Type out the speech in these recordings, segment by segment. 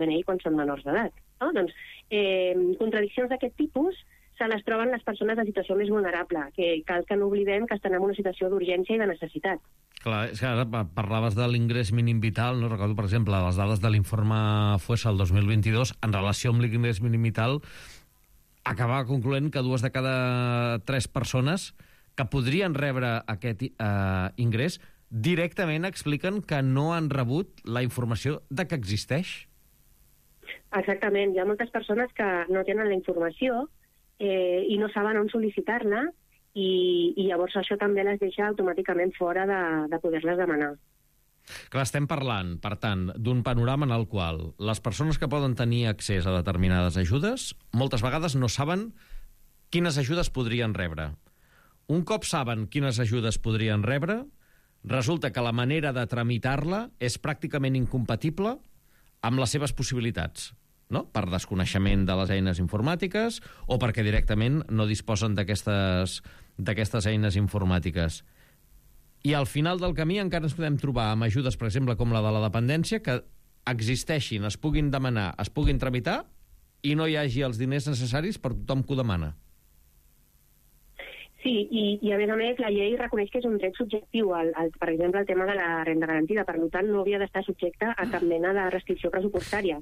DNI quan són menors d'edat. No? Doncs contradiccions d'aquest tipus se les troben les persones en situació més vulnerable, que cal que no oblidem que estan en una situació d'urgència i de necessitat. Clar, és que ara parlaves de l'ingrés mínim vital, no? Recordo, per exemple, les dades de l'informe FOESA el 2022, en relació amb l'ingrés mínim vital, acabava concloent que 2 de cada 3 persones que podrien rebre aquest ingrés directament expliquen que no han rebut la informació de que existeix. Exactament, hi ha moltes persones que no tenen la informació i no saben on sol·licitar-la i llavors això també les deixa automàticament fora de poder-les demanar. Clar, estem parlant, per tant, d'un panorama en el qual les persones que poden tenir accés a determinades ajudes moltes vegades no saben quines ajudes podrien rebre. Un cop saben quines ajudes podrien rebre, resulta que la manera de tramitar-la és pràcticament incompatible amb les seves possibilitats, no? Per desconeixement de les eines informàtiques o perquè directament no disposen d'aquestes eines informàtiques. I al final del camí encara ens podem trobar amb ajudes, per exemple, com la de la dependència, que existeixin, es puguin demanar, es puguin tramitar i no hi hagi els diners necessaris per tothom que ho demana. Sí, i a més la llei reconeix que és un dret subjectiu, per exemple, el tema de la renda garantida, per tant no hauria d'estar subjecte a cap mena de restricció pressupostària.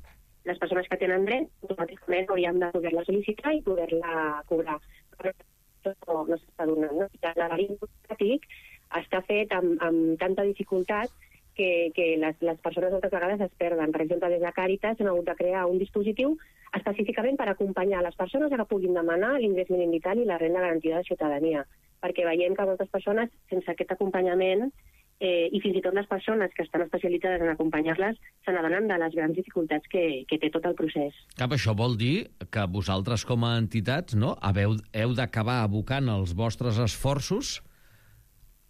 Les persones que tenen dret automàticament haurien de poder-la sol·licitar i poder-la cobrar. Però no s'està donant. No? L'erari informàtic està fet amb tanta dificultat que les persones moltes vegades es perden. Per exemple, des de Càritas han hagut de crear un dispositiu específicament per acompanyar les persones que puguin demanar l'ingrés mínim vital i la renda garantida de ciutadania, perquè veiem que moltes persones sense aquest acompanyament i fins i tot les persones que estan especialitzades en acompanyar-les se n'adonen de les grans dificultats que té tot el procés. Cap, això vol dir que vosaltres com a entitats heu d'acabar abocant els vostres esforços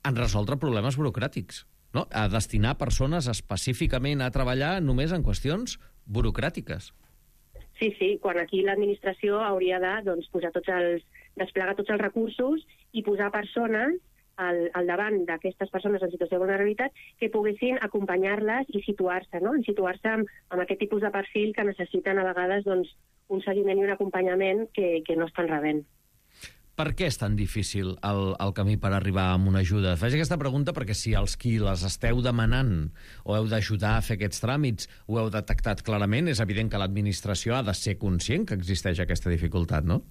en resoldre problemes burocràtics, no? A destinar persones específicament a treballar només en qüestions burocràtiques. Sí, quan aquí l'administració hauria de desplegar tots els recursos i posar persones al davant d'aquestes persones en situació de vulnerabilitat que poguessin acompanyar-les i situar-se, no? Situar-se amb aquest tipus de perfil que necessiten a vegades un seguiment i un acompanyament que no estan rebent. Per què és tan difícil el camí per arribar a una ajuda? Faig aquesta pregunta perquè si els qui les esteu demanant o heu d'ajudar a fer aquests tràmits ho heu detectat clarament, és evident que l'administració ha de ser conscient que existeix aquesta dificultat, no?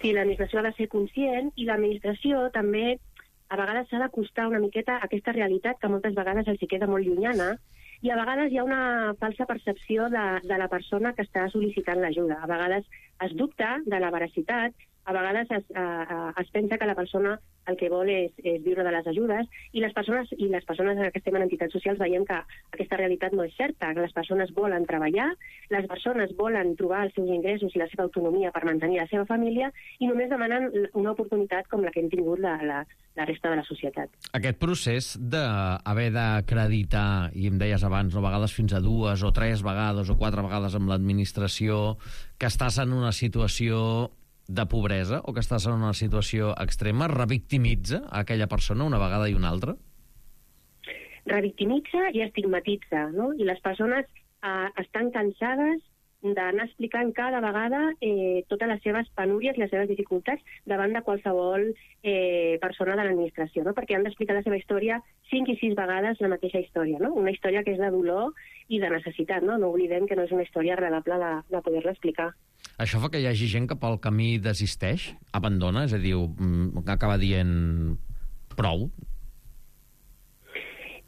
Sí, l'administració ha de ser conscient i l'administració també a vegades s'ha d'acostar una miqueta a aquesta realitat que moltes vegades els hi queda molt llunyana i a vegades hi ha una falsa percepció de la persona que està sol·licitant l'ajuda. A vegades es dubta de la veracitat, a vegades es pensa que la persona el que vol és viure de les ajudes i les persones que estem en entitats socials veiem que aquesta realitat no és certa, que les persones volen treballar, les persones volen trobar els seus ingressos i la seva autonomia per mantenir la seva família i només demanen una oportunitat com la que hem tingut la resta de la societat. Aquest procés d'haver d'acreditar, i em deies abans, a vegades fins a 2 o 3 vegades o 4 vegades amb l'administració, que estàs en una situació de pobresa o que estàs en una situació extrema, revictimitza a aquella persona una vegada i una altra? Revictimitza i estigmatitza, no? I les persones estan cansades d'anar explicant cada vegada totes les seves penúries i les seves dificultats davant de qualsevol persona de l'administració, no? Perquè han d'explicar la seva història 5 i 6 vegades la mateixa història, no? Una història que és de dolor i de necessitat, no? No oblidem que no és una història agradable de poder-la explicar. Això fa que hi hagi gent que pel camí desisteix, abandona, és a dir, acaba dient prou?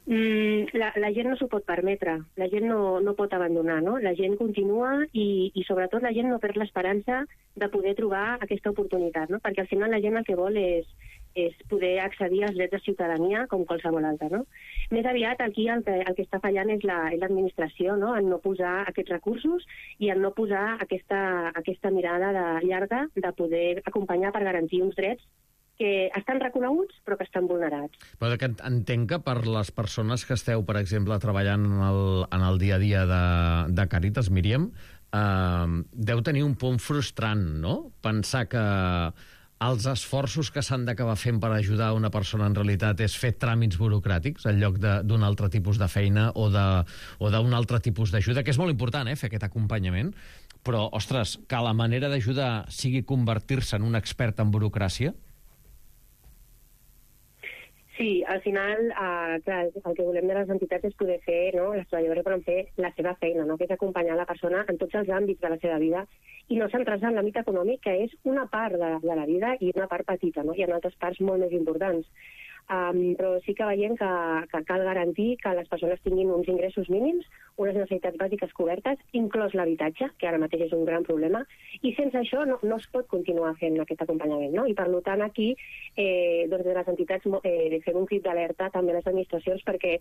La gent no s'ho pot permetre, la gent no pot abandonar, no? La gent continua i sobretot la gent no perd l'esperança de poder trobar aquesta oportunitat, no? Perquè al final la gent el que vol és poder accedir als drets de ciutadania com qualsevol altre, no? Més aviat aquí el que està fallant és l'administració, no? En no posar aquests recursos i en no posar aquesta mirada llarga de poder acompanyar per garantir uns drets que estan reconeguts però que estan vulnerats. Però que entenc que per les persones que esteu, per exemple, treballant en el dia a dia de Càritas, Míriam, deu tenir un punt frustrant, no? Pensar que els esforços que s'han d'acabar fent per ajudar una persona en realitat és fer tràmits burocràtics en lloc d'un altre tipus de feina o d'un altre tipus d'ajuda, que és molt important, fer aquest acompanyament, però, ostres, que la manera d'ajudar sigui convertir-se en un expert en burocràcia? Sí, al final clar, el que volem de les entitats és poder fer, no? Les treballadores poden fer la seva feina, no? Que és acompanyar la persona en tots els àmbits de la seva vida i no centrar-se en l'àmbit econòmic, que és una part de la vida i una part petita, no? Hi ha altres parts molt més importants. Però sí que veiem que cal garantir que les persones tinguin uns ingressos mínims, unes necessitats bàsiques cobertes, inclòs l'habitatge, que ara mateix és un gran problema, i sense això no es pot continuar fent aquest acompanyament, no? I per tant aquí, doncs de les entitats fem un crit d'alerta també a les administracions perquè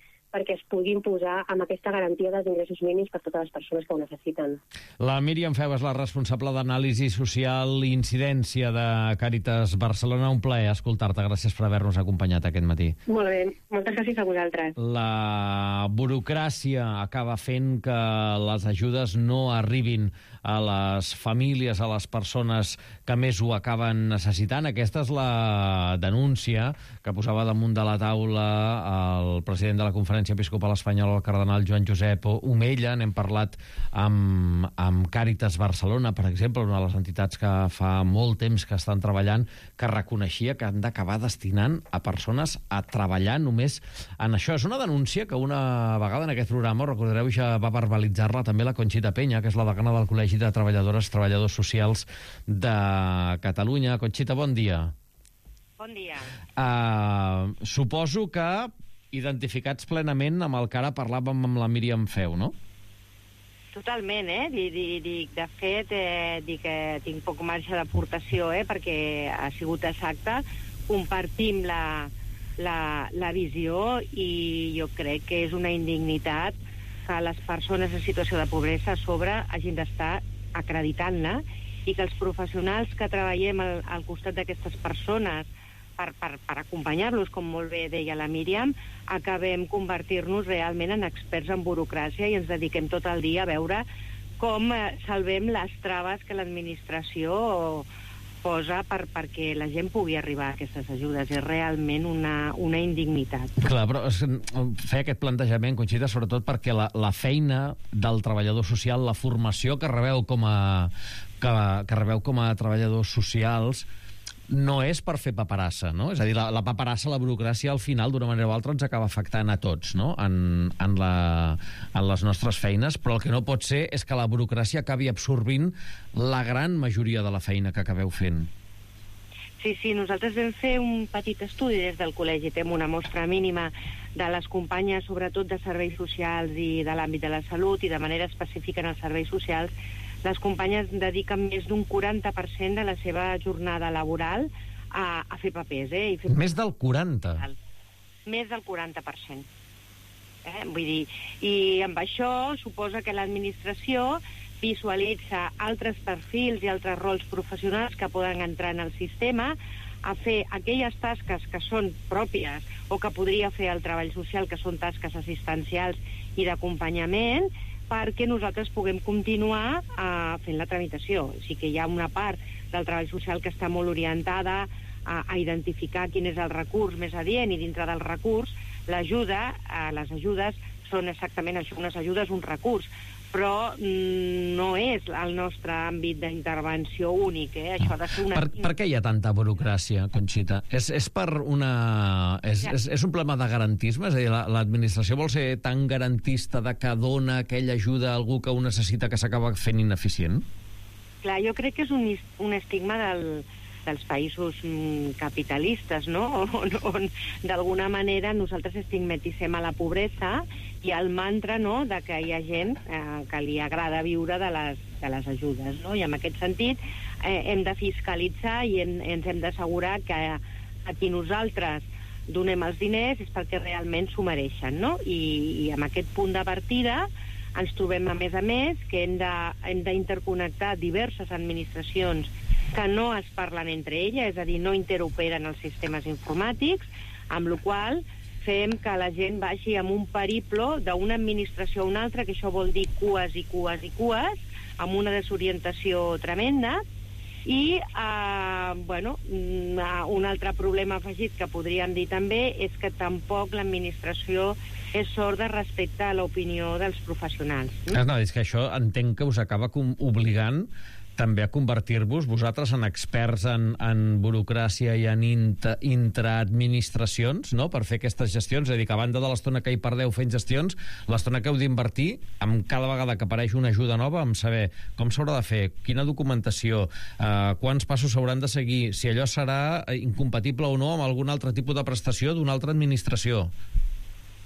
es puguin posar amb aquesta garantia dels ingressos mínims per totes les persones que ho necessiten. La Míriam Feu és la responsable d'anàlisi social i incidència de Càritas Barcelona. Un plaer escoltar-te. Gràcies per haver-nos acompanyat aquest matí. Molt bé. Moltes gràcies a vosaltres. La burocràcia acaba fent que les ajudes no arribin a les famílies, a les persones que més ho acaben necessitant. Aquesta és la denúncia que posava damunt de la taula el president de la Conferència Episcopal Espanyola, el cardenal Joan Josep Omella. N'hem parlat amb Càritas Barcelona, per exemple, una de les entitats que fa molt temps que estan treballant, que reconeixia que han d'acabar destinant a persones a treballar només en això. És una denúncia que una vegada en aquest programa, recordareu, ja va verbalitzar-la també la Conxita Peña, que és la degana del Col·legi de Treballadores Socials de Catalunya. Conxita, bon dia. Bon dia. Suposo que identificats plenament amb el que ara parlàvem amb la Míriam Feu, no? Totalment, de fet, dic que tinc poc marge d'aportació, perquè ha sigut exacte. Compartim la visió i jo crec que és una indignitat que les persones en situació de pobresa a sobre hagin d'estar acreditant-la i que els professionals que treballem al costat d'aquestes persones per acompanyar-los, com molt bé deia la Míriam, acabem convertir-nos realment en experts en burocràcia i ens dediquem tot el dia a veure com salvem les traves que l'administració posa perquè la gent pugui arribar a aquestes ajudes. És realment una indignitat. Clar, però fer aquest plantejament, Conxita, sobretot perquè la feina del treballador social, la formació que rebeu com a treballadors socials, no és per fer paperassa, no? És a dir, la paperassa, la burocràcia, al final, d'una manera o altra, ens acaba afectant a tots, no? En les nostres feines, però el que no pot ser és que la burocràcia acabi absorbint la gran majoria de la feina que acabeu fent. Sí, nosaltres vam fer un petit estudi des del col·legi, fem una mostra mínima de les companyes, sobretot de serveis socials i de l'àmbit de la salut, i de manera específica en els serveis socials. Les companyes dediquen més d'un 40% de la seva jornada laboral a fer papers. Més del 40%? Més del 40%. Vull dir, i amb això suposa que l'administració visualitza altres perfils i altres rols professionals que poden entrar en el sistema a fer aquelles tasques que són pròpies o que podria fer el treball social, que són tasques assistencials i d'acompanyament, perquè nosaltres puguem continuar fent la tramitació. O sigui que hi ha una part del treball social que està molt orientada a identificar quin és el recurs més adient, i dintre del recurs les ajudes són exactament això, unes ajudes, un recurs, però no és el nostre àmbit d'intervenció únic. Això ha de ser una... Per què hi ha tanta burocràcia, Conxita? És un problema de garantisme? És a dir, l'administració vol ser tan garantista de que dona aquella ajuda a algú que ho necessita que s'acaba fent ineficient? Clar, jo crec que és un estigma dels països capitalistes, no? On d'alguna manera nosaltres estigmatitzem a la pobresa i el mantra, no?, de que hi ha gent que li agrada viure de les ajudes, no? I en aquest sentit hem de fiscalitzar i ens hem d'assegurar que a qui nosaltres donem els diners és perquè realment s'ho mereixen, no? I amb aquest punt de partida ens trobem, a més, que hem d'interconnectar diverses administracions que no es parlen entre elles, és a dir, no interoperen els sistemes informàtics, amb la qual cosa fem que la gent vagi amb un periplo d'una administració a una altra, que això vol dir cues i cues i cues, amb una desorientació tremenda, I, un altre problema afegit que podríem dir també és que tampoc l'administració és sorda respecte a l'opinió dels professionals. No, és que això entenc que us acaba obligant també a convertir-vos vosaltres en experts en burocràcia i en intraadministracions, no?, per fer aquestes gestions. És a dir, que a banda de l'estona que hi perdeu fent gestions, l'estona que heu d'invertir, amb cada vegada que apareix una ajuda nova, amb saber com s'haurà de fer, quina documentació, quants passos s'hauran de seguir, si allò serà incompatible o no amb algun altre tipus de prestació d'una altra administració.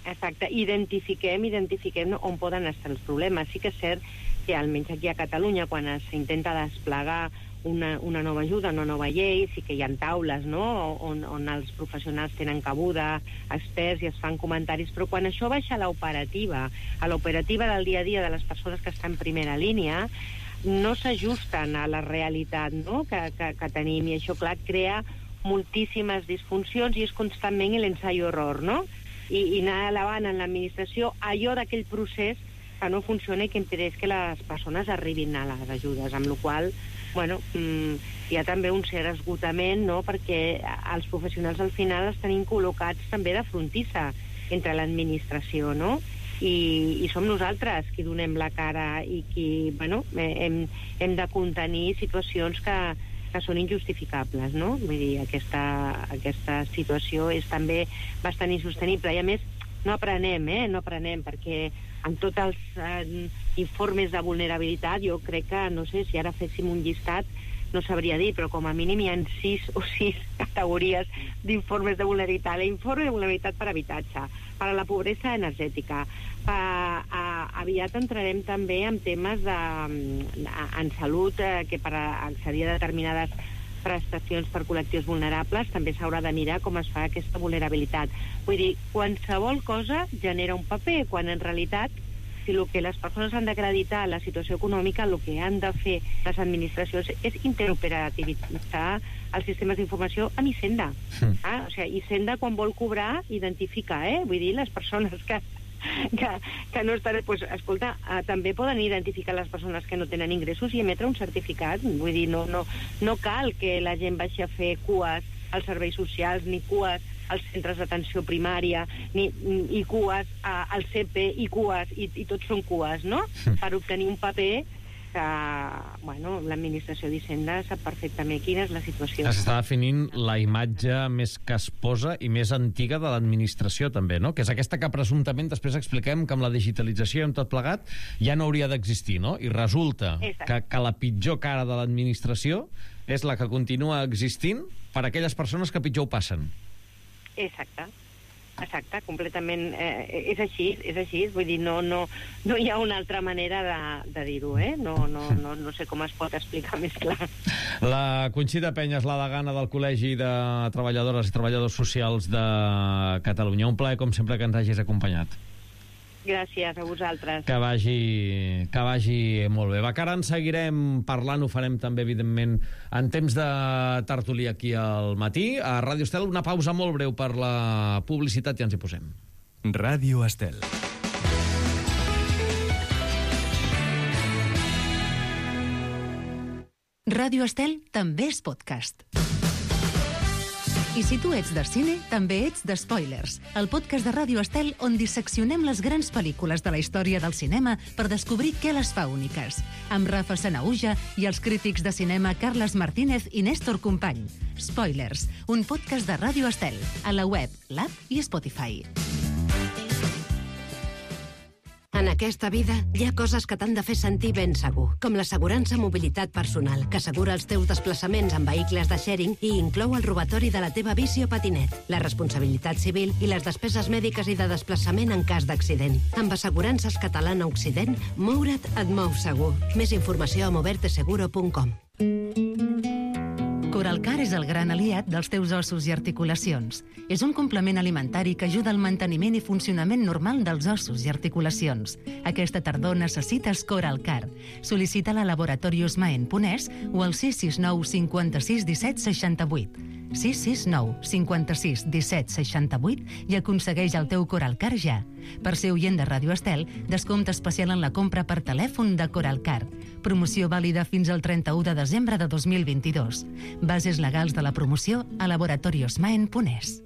Exacte, identifiquem on poden estar els problemes. Sí que és cert que almenys aquí a Catalunya, quan s'intenta desplegar una nova ajuda, una nova llei, sí que hi ha taules, no?, on els professionals tenen cabuda, experts, i es fan comentaris, però quan això baixa a l'operativa del dia a dia de les persones que estan en primera línia, no s'ajusten a la realitat, no?, que tenim, i això, clar, crea moltíssimes disfuncions i és constantment l'ensayo-error, no?, i anar elevant en l'administració allò d'aquell procés que no funciona i que impedeix que les persones arribin a les ajudes, amb la qual hi ha també un cert esgotament, no?, perquè els professionals al final els tenim col·locats també de frontissa entre l'administració, no?, i som nosaltres qui donem la cara i qui, hem de contenir situacions que són injustificables, no? Vull dir, aquesta situació és també bastant insostenible i, a més, no aprenem, perquè en tots els informes de vulnerabilitat, jo crec que, no sé, si ara féssim un llistat, no sabria dir, però com a mínim hi ha 6 o 6 categories d'informes de vulnerabilitat. L'informe de vulnerabilitat per habitatge, per a la pobresa energètica. Aviat entrarem també en temes en salut, que per accedir a determinades prestacions per col·lectius vulnerables també s'haurà de mirar com es fa aquesta vulnerabilitat. Vull dir, qualsevol cosa genera un paper, quan en realitat, si el que les persones han d'acreditar la situació econòmica, el que han de fer les administracions és interoperativitzar els sistemes d'informació amb Hisenda. O sigui, Hisenda, quan vol cobrar, identifica, vull dir, les persones que no estan... Pues, escolta, també poden identificar les persones que no tenen ingressos i emetre un certificat. Vull dir, no cal que la gent baixi a fer cues als serveis socials, ni cues als centres d'atenció primària, i cues al CP, i cues, i tots són cues, no?, per obtenir un paper que, l'administració d'Hisenda sap perfectament quina és la situació. S'està definint la imatge més casposa i més antiga de l'administració, també, no?, que és aquesta que presumptament després expliquem que amb la digitalització i amb tot plegat ja no hauria d'existir, no?, i resulta que la pitjor cara de l'administració és la que continua existint per a aquelles persones que pitjor ho passen. Exacte, completament. És així, vull dir, no hi ha una altra manera de dir-ho, no sé com es pot explicar més clar. La Conxita Peñas, la degana del Col·legi de Treballadores i Treballadors Socials de Catalunya. Un plaer, com sempre, que ens hagis acompanyat. Gràcies a vosaltres. Que vagi molt bé. Va, que ara en seguirem parlant, ho farem també, evidentment, en temps de tertúlia aquí al matí. A Ràdio Estel, una pausa molt breu per la publicitat i ens hi posem. Ràdio Estel. Ràdio Estel també és podcast. I si tu ets de cine, també ets de Spoilers, el podcast de Ràdio Estel on disseccionem les grans pel·lícules de la història del cinema per descobrir què les fa úniques. Amb Rafa Sanahuja i els crítics de cinema Carles Martínez i Néstor Company. Spoilers, un podcast de Ràdio Estel, a la web, l'app i Spotify. En aquesta vida hi ha coses que t'han de fer sentir ben segur, com l'assegurança mobilitat personal, que assegura els teus desplaçaments en vehicles de sharing i inclou el robatori de la teva bici o patinet, la responsabilitat civil i les despeses mèdiques i de desplaçament en cas d'accident. Amb Assegurances Catalana Occident, moure't et mou segur. Més informació a moverteseguro.com. Coralcar és el gran aliat dels teus ossos i articulacions. És un complement alimentari que ajuda al manteniment i funcionament normal dels ossos i articulacions. Aquesta tardor necessites Coralcar. Sol·licita-la a Laboratorios Maen Ponès o al 669 56 17 68. 669 56 17 68 i aconsegueix el teu Coralcar ja. Per ser oient de Ràdio Estel, descompte especial en la compra per telèfon de Coralcar. Promoció vàlida fins al 31 de desembre de 2022. Bases legals de la promoció a laboratoriosmaen.es.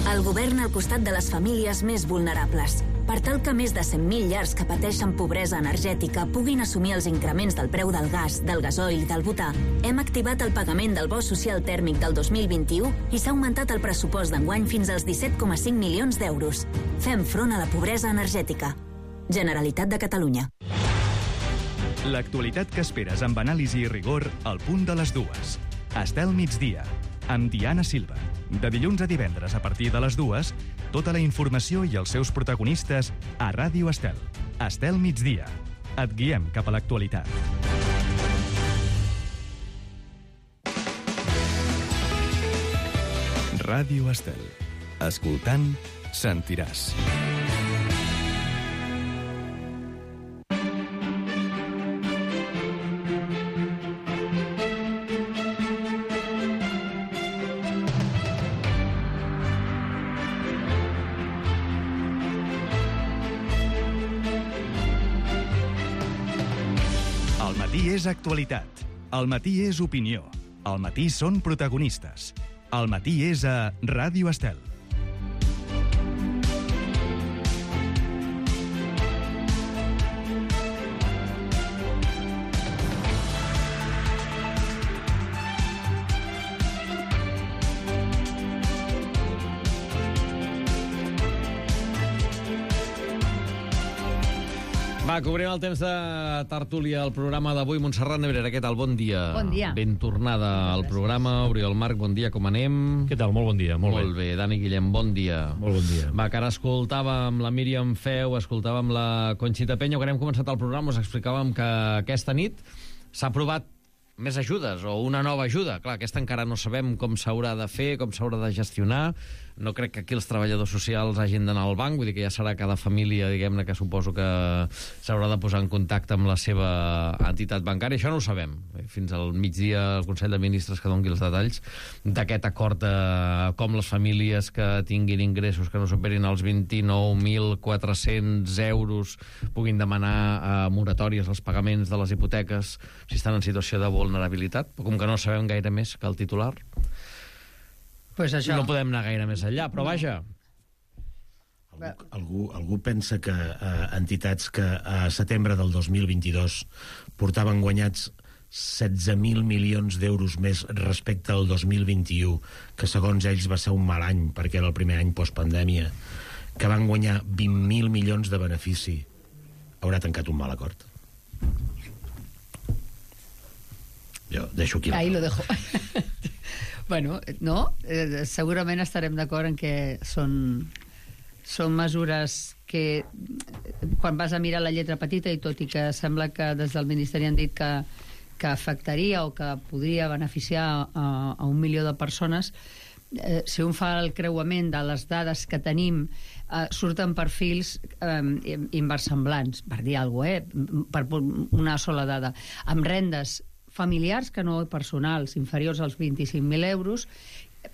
El govern al costat de les famílies més vulnerables. Per tal que més de 100.000 llars que pateixen pobresa energètica puguin assumir els increments del preu del gas, del gasoil i del butà, hem activat el pagament del bo social tèrmic del 2021 i s'ha augmentat el pressupost d'enguany fins als 17,5 milions d'euros. Fem front a la pobresa energètica. Generalitat de Catalunya. L'actualitat que esperes amb anàlisi i rigor al punt de les 2. Estel migdia, amb Diana Silva. De dilluns a divendres a partir de les 2, tota la informació i els seus protagonistes a Ràdio Estel. Estel migdia. Et guiem cap a l'actualitat. Ràdio Estel. Escoltant, sentiràs. El matí és actualitat. El matí és opinió. El matí són protagonistes. El matí és a Ràdio Estel. Va, cobrim el temps de tertúlia al programa d'avui. Montserrat Nebrera, què tal? Bon dia. Bon dia. Ben tornada al programa. Oriol Marc, bon dia, com anem? Què tal? Molt bon dia. Molt bé. Dani Guillem, bon dia. Molt bon dia. Va, que ara escoltàvem la Míriam Feu, escoltàvem la Conxita Peña, quan hem començat el programa us explicàvem que aquesta nit s'ha aprovat més ajudes o una nova ajuda. Clar, aquesta encara no sabem com s'haurà de fer, com s'haurà de gestionar. No crec que aquí els treballadors socials hagin d'anar al banc, vull dir que ja serà cada família, diguem-ne, que suposo que s'haurà de posar en contacte amb la seva entitat bancària. Això no ho sabem. Fins al migdia el Consell de Ministres que doni els detalls d'aquest acord de com les famílies que tinguin ingressos que no superin els 29.400 euros puguin demanar moratòries als pagaments de les hipoteques si estan en situació de vulnerabilitat. Però com que no sabem gaire més que el titular, pues això. No podem anar gaire més enllà, però vaja. Algú pensa que entitats que a setembre del 2022 portaven guanyats 16.000 milions d'euros més respecte al 2021, que segons ells va ser un mal any perquè era el primer any postpandèmia, que van guanyar 20.000 milions de benefici, haurà tancat un mal acord. Jo deixo aquí. Ahí lo dejo. Bueno, no, segurament estarem d'acord en que són mesures que quan vas a mirar la lletra petita, i tot i que sembla que des del Ministeri han dit que afectaria o que podria beneficiar a 1 milió de persones, si un fa el creuament de les dades que tenim, surten perfils inversemblants, per dir alguna cosa, per una sola dada, amb rendes familiars, que no personals, inferiors als 25.000 euros.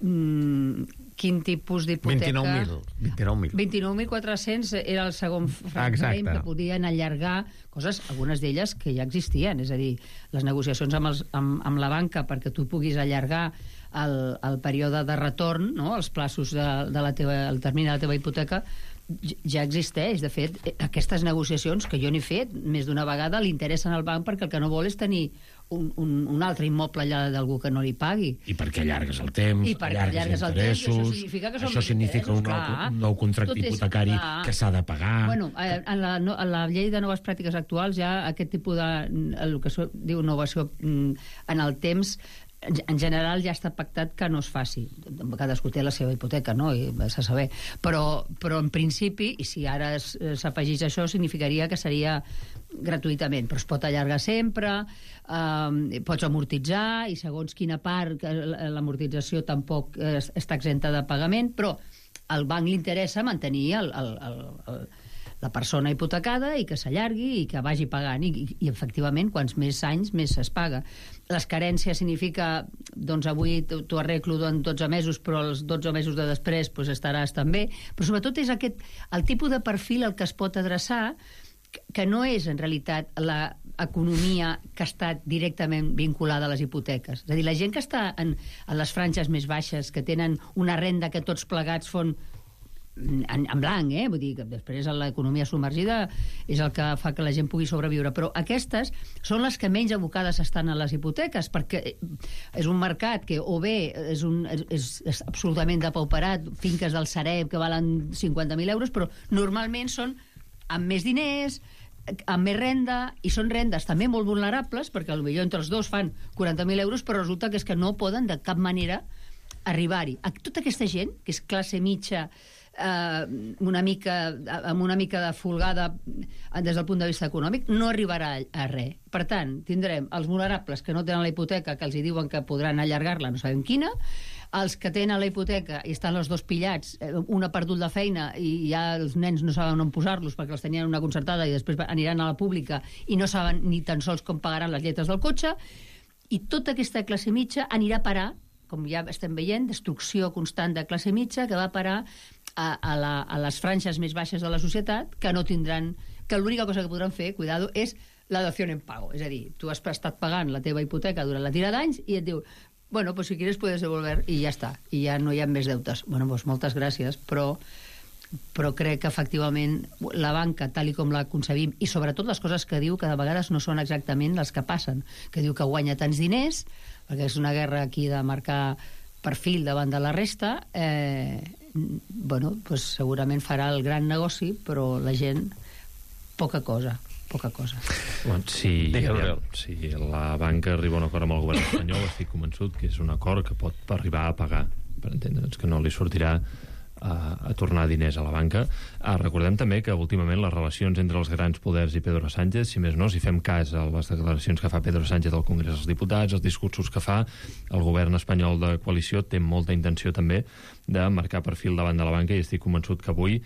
Quin tipus d'hipoteca? 29.400 era el segon frame que podien allargar coses, algunes d'elles que ja existien, és a dir, les negociacions amb la banca perquè tu puguis allargar el període de retorn, no? Els plaços el termini de la teva hipoteca ja existeix. De fet, aquestes negociacions que jo n'he fet més d'una vegada li interessen al banc perquè el que no vol és tenir un altre immoble allà d'algú que no li pagui. I perquè allargues el temps, allargues interessos, això significa un nou contracte hipotecari que s'ha de pagar. Bueno, en la llei de noves pràctiques actuals ja aquest tipus de, el que es diu innovació en el temps, en general ja està pactat que no es faci. Cadascú té la seva hipoteca, no? I s'ha de saber. Però en principi, i si ara s'afegís això, significaria que seria gratuïtament, però es pot allargar sempre, pots amortitzar, i segons quina part l'amortització tampoc està exenta de pagament, però al banc li interessa mantenir la persona hipotecada i que s'allargui i que vagi pagant i efectivament quants més anys més es paga. Les carències significa doncs avui t'ho arreglo en 12 mesos però els 12 mesos de després doncs estaràs també, però sobretot és el tipus de perfil al que es pot adreçar, que no és en realitat l'economia que està directament vinculada a les hipoteques. És a dir, la gent que està en les franges més baixes, que tenen una renda que tots plegats fon en blanc, vull dir que després l'economia submergida és el que fa que la gent pugui sobreviure, però aquestes són les que menys abocades estan a les hipoteques, perquè és un mercat que o bé és absolutament depauperat, finques del Sareb que valen 50.000 euros, però normalment són amb més diners, amb més renda, i són rendes també molt vulnerables, perquè potser entre els dos fan 40.000 euros, però resulta que és que no poden de cap manera arribar-hi. Tota aquesta gent, que és classe mitja, amb una mica de folgada des del punt de vista econòmic, no arribarà a res. Per tant, tindrem els vulnerables que no tenen la hipoteca, que els hi diuen que podran allargar-la, no sabem quina, els que tenen la hipoteca i estan els dos pillats, un ha perdut la feina i ja els nens no saben on posar-los perquè els tenien una concertada i després aniran a la pública i no saben ni tan sols com pagaran les lletres del cotxe, i tota aquesta classe mitja anirà a parar, com ja estem veient, destrucció constant de classe mitja que va parar a les franges més baixes de la societat, que no tindran, que l'única cosa que podran fer, cuidado, és la dació en pago. És a dir, tu has estat pagant la teva hipoteca durant la tira d'anys i et diu, bueno, pues si quieres puedes devolver, i ja està, i ja no hi ha més deutes. Bueno, pues moltes gràcies, però crec que efectivament la banca, tal i com la concebim, i sobretot les coses que diu, que de vegades no són exactament les que passen, que diu que guanya tants diners, perquè és una guerra aquí de marcar perfil davant de la resta, bueno, pues segurament farà el gran negoci, però la gent poca cosa. Bueno, si la banca arriba a un acord amb el govern espanyol, estic convençut que és un acord que pot arribar a pagar, per entendre'ns, que no li sortirà a tornar diners a la banca. Recordem també que últimament les relacions entre els grans poders i Pedro Sánchez, si més no, si fem cas a les declaracions que fa Pedro Sánchez al Congrés dels Diputats, els discursos que fa, el govern espanyol de coalició té molta intenció també de marcar perfil davant de la banca, i estic convençut que avui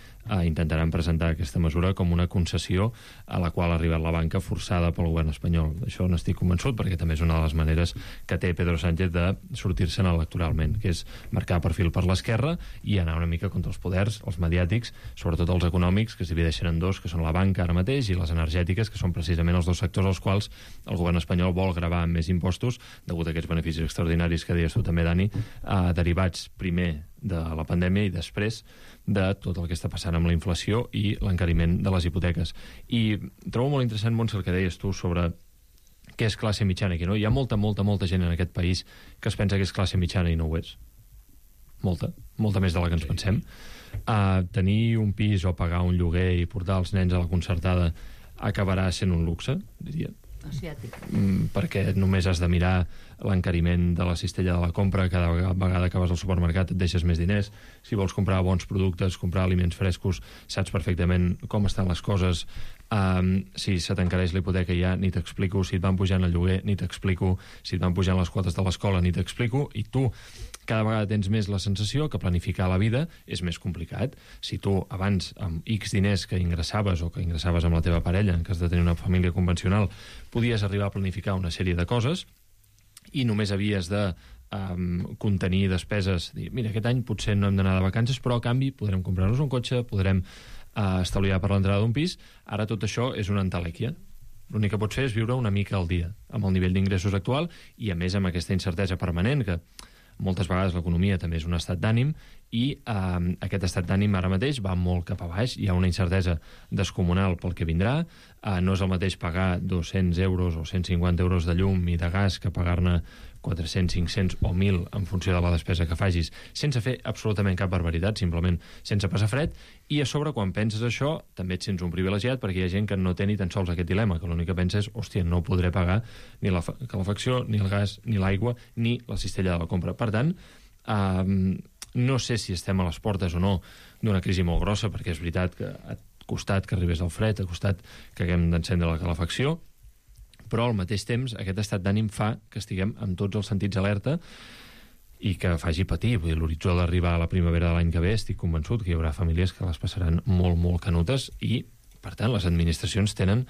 intentaran presentar aquesta mesura com una concessió a la qual ha arribat la banca forçada pel govern espanyol. Això n'estic convençut, perquè també és una de les maneres que té Pedro Sánchez de sortir-se'n electoralment, que és marcar perfil per l'esquerra i anar una mica contra els poders, els mediàtics, sobretot els econòmics, que es divideixen en dos, que són la banca ara mateix i les energètiques, que són precisament els dos sectors als quals el govern espanyol vol gravar amb més impostos degut a aquests beneficis extraordinaris que deies tu també, Dani, derivats primer de la pandèmia i després de tot el que està passant amb la inflació i l'encariment de les hipoteques. I trobo molt interessant, Montse, el que deies tu sobre què és classe mitjana i què no. Hi ha molta gent en aquest país que es pensa que és classe mitjana i no ho és. Molta més de la que ens pensem. Tenir un pis o pagar un lloguer i portar els nens a la concertada acabarà sent un luxe, diria. Perquè només has de mirar l'encariment de la cistella de la compra, cada vegada que vas al supermercat et deixes més diners, si vols comprar bons productes, comprar aliments frescos, saps perfectament com estan les coses, si se t'encareix la hipoteca ja ni t'explico, si et van pujant el lloguer ni t'explico, si et van pujant les quotes de l'escola ni t'explico, i tu cada vegada tens més la sensació que planificar la vida és més complicat. Si tu abans amb X diners que ingressaves o que ingressaves amb la teva parella, en cas de tenir una família convencional, podies arribar a planificar una sèrie de coses i només havies de contenir despeses, dir, mira, aquest any potser no hem d'anar de vacances, però a canvi podrem comprar-nos un cotxe, podrem estalviar per l'entrada d'un pis. Ara tot això és una entelèquia. L'únic que pots fer és viure una mica al dia amb el nivell d'ingressos actual i, a més, amb aquesta incertesa permanent que moltes vegades l'economia també és un estat d'ànim i aquest estat d'ànim ara mateix va molt cap a baix, hi ha una incertesa descomunal pel que vindrà, no és el mateix pagar 200 euros o 150 euros de llum i de gas que pagar-ne 400, 500 o 1.000 en funció de la despesa que facis, sense fer absolutament cap barbaritat, simplement sense passar fred, i a sobre quan penses això també et sents un privilegiat perquè hi ha gent que no té ni tan sols aquest dilema, que l'únic que pensa és, hòstia, no podré pagar ni la calefacció, ni el gas, ni l'aigua, ni la cistella de la compra. Per tant, no sé si estem a les portes o no d'una crisi molt grossa, perquè és veritat que ha costat que arribés el fred, ha costat que haguem d'encendre la calefacció, però al mateix temps aquest estat d'ànim fa que estiguem amb tots els sentits alerta i que faci patir. Vull dir, l'horitzó d'arribar a la primavera de l'any que ve estic convençut que hi haurà famílies que les passaran molt, molt canutes i per tant, les administracions tenen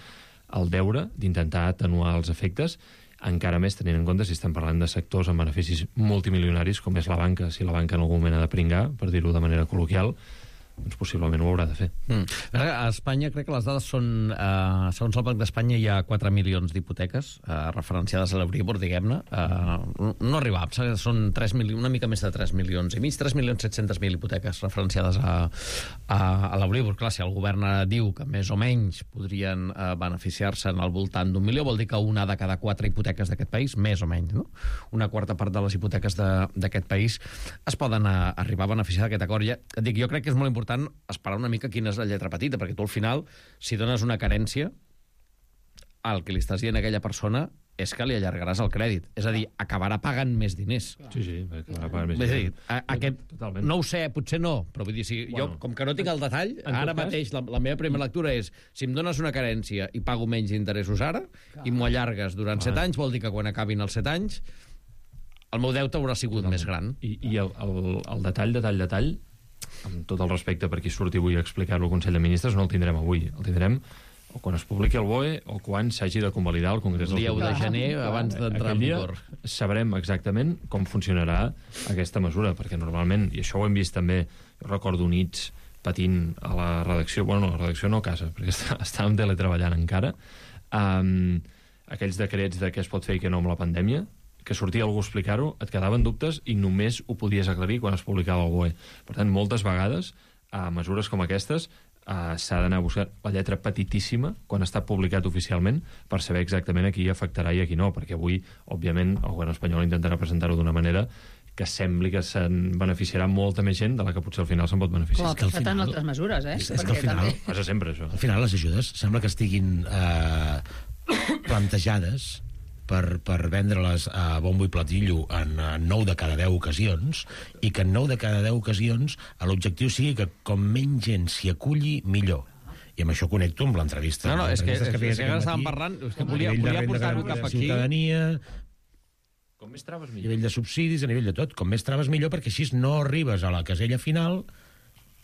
el deure d'intentar atenuar els efectes, encara més tenint en compte si estem parlant de sectors amb beneficis multimilionaris, com és la banca. Si la banca en algun moment ha de pringar, per dir-ho de manera col·loquial, doncs possiblement ho haurà de fer. A Espanya crec que les dades són... segons el Banc d'Espanya hi ha 4 milions d'hipoteques referenciades a l'Euribor, diguem-ne. No arribam, són una mica més de 3 milions i mig, 3.700.000 hipoteques referenciades a l'Euribor. Clar, si el govern diu que més o menys podrien beneficiar-se al voltant d'1 milió, vol dir que una de cada 4 hipoteques d'aquest país, més o menys, no? Una quarta part de les hipoteques d'aquest país es poden arribar a beneficiar d'aquest acord. Ja, dic, jo crec que és molt important esperar una mica quina és la lletra petita, perquè tu al final, si dones una carència, el que li estàs dient a aquella persona és que li allargaràs el crèdit. És a dir, acabarà pagant més diners. Sí, acabarà pagant més diners. Totalment. No ho sé, potser no, però vull dir, jo, com que no tinc el detall, ara mateix la meva primera lectura és, si em dones una carència i pago menys interessos ara, i m'ho allargues durant 7 anys, vol dir que quan acabin els 7 anys, el meu deute haurà sigut més gran. I el detall, amb tot el respecte per qui surti avui a explicar-lo al Consell de Ministres, no el tindrem avui. El tindrem o quan es publiqui el BOE o quan s'hagi de convalidar el Congrés del Diputats. El 10 de gener, abans d'entrar en vigor. Sabrem exactament com funcionarà aquesta mesura, perquè normalment, i això ho hem vist també, jo recordo nits patint a la redacció, bueno, no, a la redacció no a casa, perquè estàvem teletreballant encara, aquells decrets de què es pot fer i què no amb la pandèmia, que sortia algú a explicar-ho, et quedaven dubtes i només ho podies aclarir quan es publicava el BOE. Per tant, moltes vegades, a mesures com aquestes, s'ha d'anar a buscar la lletra petitíssima quan està publicat oficialment per saber exactament a qui afectarà i a qui no, perquè avui, òbviament, el govern espanyol intentarà presentar-ho d'una manera que sembli que se'n beneficiarà molta més gent de la que potser al final se'n pot beneficiar. Com ha passat en altres mesures, És que al final... Passa sempre, això. Al final les ajudes sembla que estiguin plantejades per vendre-les a bombo i platillo en 9 de cada 10 ocasions, i que en 9 de cada 10 ocasions l'objectiu sigui que com menys gent s'hi aculli, millor. I amb això connecto amb l'entrevista. No, és que ara estàvem parlant, és que volia portar-ho cap aquí. Ciutadania, com més traves, millor. A nivell de subsidis, a nivell de tot, com més traves millor, perquè així no arribes a la casella final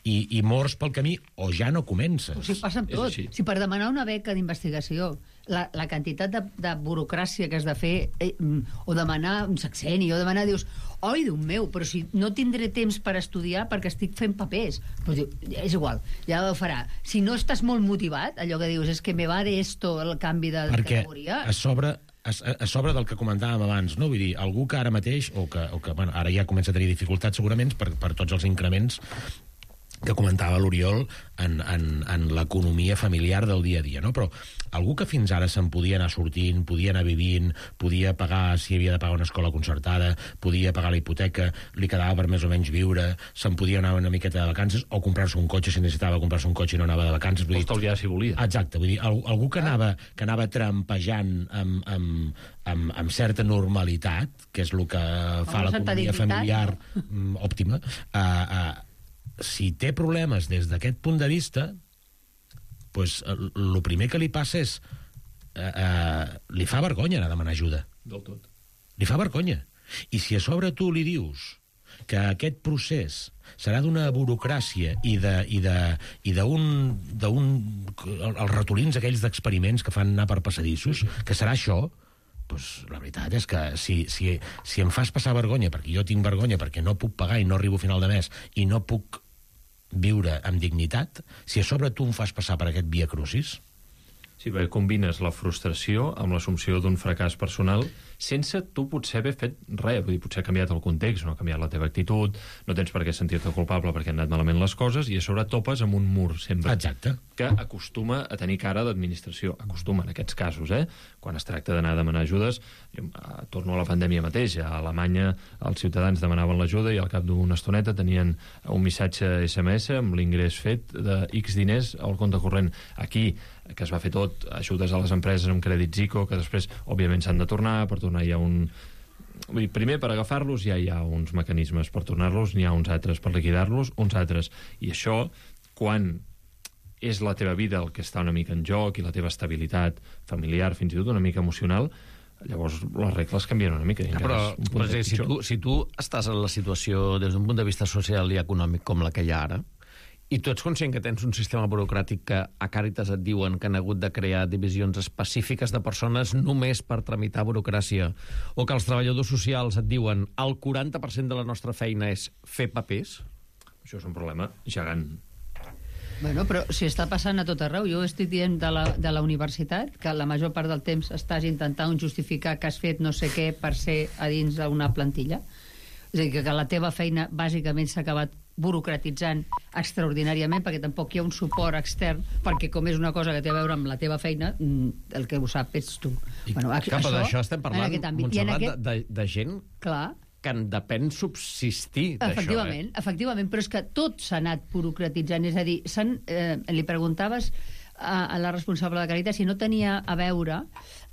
i mors pel camí, o ja no comences. O sigui, passa amb tot. Si per demanar una beca d'investigació, la quantitat de burocràcia que has de fer, o demanar un sexeni, o demanar, dius, oi, Déu meu, però si no tindré temps per estudiar perquè estic fent papers. Però diu, és igual, ja ho farà. Si no estàs molt motivat, allò que dius, és que me va de esto el canvi de categoria... Perquè a sobre del que comentàvem abans, no? Vull dir, algú que ara mateix, o que bueno, ara ja comença a tenir dificultats segurament per tots els increments que comentava l'Oriol en l'economia familiar del dia a dia, no? Però algú que fins ara se'n podia anar sortint, podia anar vivint, podia pagar, si havia de pagar una escola concertada, podia pagar la hipoteca, li quedava per més o menys viure, se'n podia anar una miqueta de vacances, o comprar-se un cotxe si necessitava comprar-se un cotxe i no anava de vacances. O estalviar si volia. Exacte, vull dir, algú que anava trampejant amb certa normalitat, que és el que fa l'economia familiar òptima, si té problemes des d'aquest punt de vista, pues, el primer que li passa és li fa vergonya anar a demanar ajuda. Del tot. Li fa vergonya. I si a sobre tu li dius que aquest procés serà d'una burocràcia i els ratolins aquells d'experiments que fan anar per passadissos, que serà això, pues, la veritat és que si em fas passar vergonya, perquè jo tinc vergonya, perquè no puc pagar i no arribo a final de mes i no puc viure amb dignitat, si a sobre tu em fas passar per aquest via crucis... Sí, perquè combines la frustració amb l'assumpció d'un fracàs personal sense tu potser haver fet res. Vull dir, potser ha canviat el context, no ha canviat la teva actitud, no tens per què sentir-te culpable perquè han anat malament les coses, i a sobre topes amb un mur sempre. Exacte. Que acostuma a tenir cara d'administració. Acostuma, en aquests casos, quan es tracta d'anar a demanar ajudes. Torno a la pandèmia mateix. A Alemanya els ciutadans demanaven l'ajuda i al cap d'una estoneta tenien un missatge SMS amb l'ingrés fet de X diners al compte corrent. Aquí, que es va fer tot, ajudes a les empreses amb crèdits ICO, que després, òbviament, s'han de tornar, per tornar hi ha un... Vull dir, primer, per agafar-los ja hi ha uns mecanismes, per tornar-los n'hi ha uns altres, per liquidar-los uns altres. I això, quan és la teva vida el que està una mica en joc i la teva estabilitat familiar, fins i tot una mica emocional, llavors les regles canvien una mica. Però si tu estàs en la situació des d'un punt de vista social i econòmic com la que hi ha ara, I tu ets conscient que tens un sistema burocràtic que a Càritas et diuen que han hagut de crear divisions específiques de persones només per tramitar burocràcia, o que els treballadors socials et diuen el 40% de la nostra feina és fer papers? Això és un problema gegant. Bueno, però si està passant a tot arreu, jo estic dient de la universitat que la major part del temps estàs intentant justificar que has fet no sé què per ser a dins d'una plantilla. És a dir, que la teva feina bàsicament s'ha acabat burocratitzant extraordinàriament, perquè tampoc hi ha un suport extern, perquè com és una cosa que té a veure amb la teva feina, el que ho sap ets tu. Bueno, cap d'això estem parlant, Montserrat, de gent... Clar, que en depèn subsistir d'això. Efectivament, però és que tot s'ha anat burocratitzant. És a dir, li preguntaves a la responsable de Càritas si no tenia a veure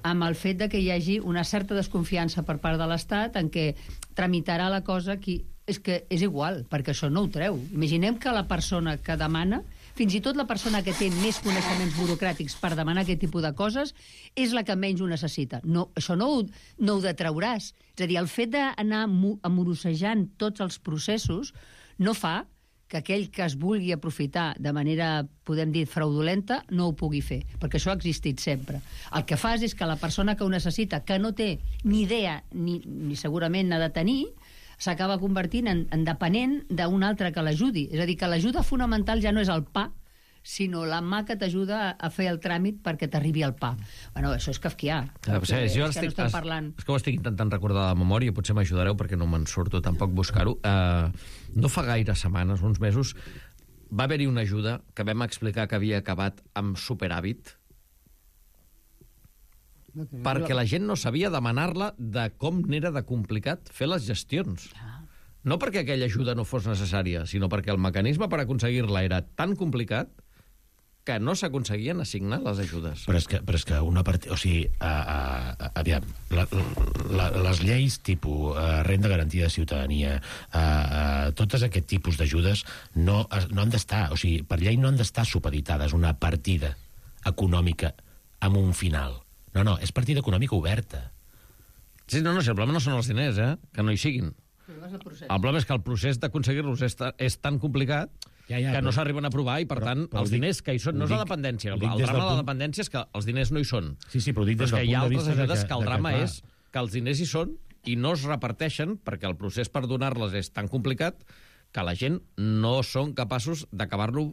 amb el fet de que hi hagi una certa desconfiança per part de l'Estat en què tramitarà la cosa qui... És que és igual, perquè això no ho treu. Imaginem que la persona que demana, fins i tot la persona que té més coneixements burocràtics per demanar aquest tipus de coses, és la que menys ho necessita. No, això no ho detrauràs. És a dir, el fet d'anar amorosejant tots els processos no fa que aquell que es vulgui aprofitar de manera, podem dir, fraudulenta, no ho pugui fer, perquè això ha existit sempre. El que fas és que la persona que ho necessita, que no té ni idea, ni segurament n'ha de tenir, s'acaba convertint en dependent d'un altre que l'ajudi. És a dir, que l'ajuda fonamental ja no és el pa, sinó la mà que t'ajuda a fer el tràmit perquè t'arribi el pa. Bueno, això és kafkià. És que ho estic intentant recordar de memòria, potser m'ajudareu perquè no me'n surto tampoc buscar-ho. No fa gaire setmanes, uns mesos, va haver-hi una ajuda que vam explicar que havia acabat amb superàvit perquè la gent no sabia demanar-la de com n'era de complicat fer les gestions. No perquè aquella ajuda no fos necessària, sinó perquè el mecanisme per aconseguir-la era tan complicat que no s'aconseguien assignar les ajudes. Però és que una part... O sigui, aviam, les lleis tipus renda garantida de ciutadania, totes aquest tipus d'ajudes no han d'estar... O sigui, per llei no han d'estar supeditades una partida econòmica amb un final. No, és partida econòmica oberta. Sí, no, si el problema no són els diners, que no hi siguin. El problema és que el procés d'aconseguir-los és tan complicat que no s'arriben a aprovar i, per tant, els diners que hi són... No és la dependència. El drama de la dependència és que els diners no hi són. Sí, però ho dic des del punt de vista... Hi ha altres ajudes que el drama és que els diners hi són i no es reparteixen perquè el procés per donar-les és tan complicat que la gent no són capaços d'acabar-lo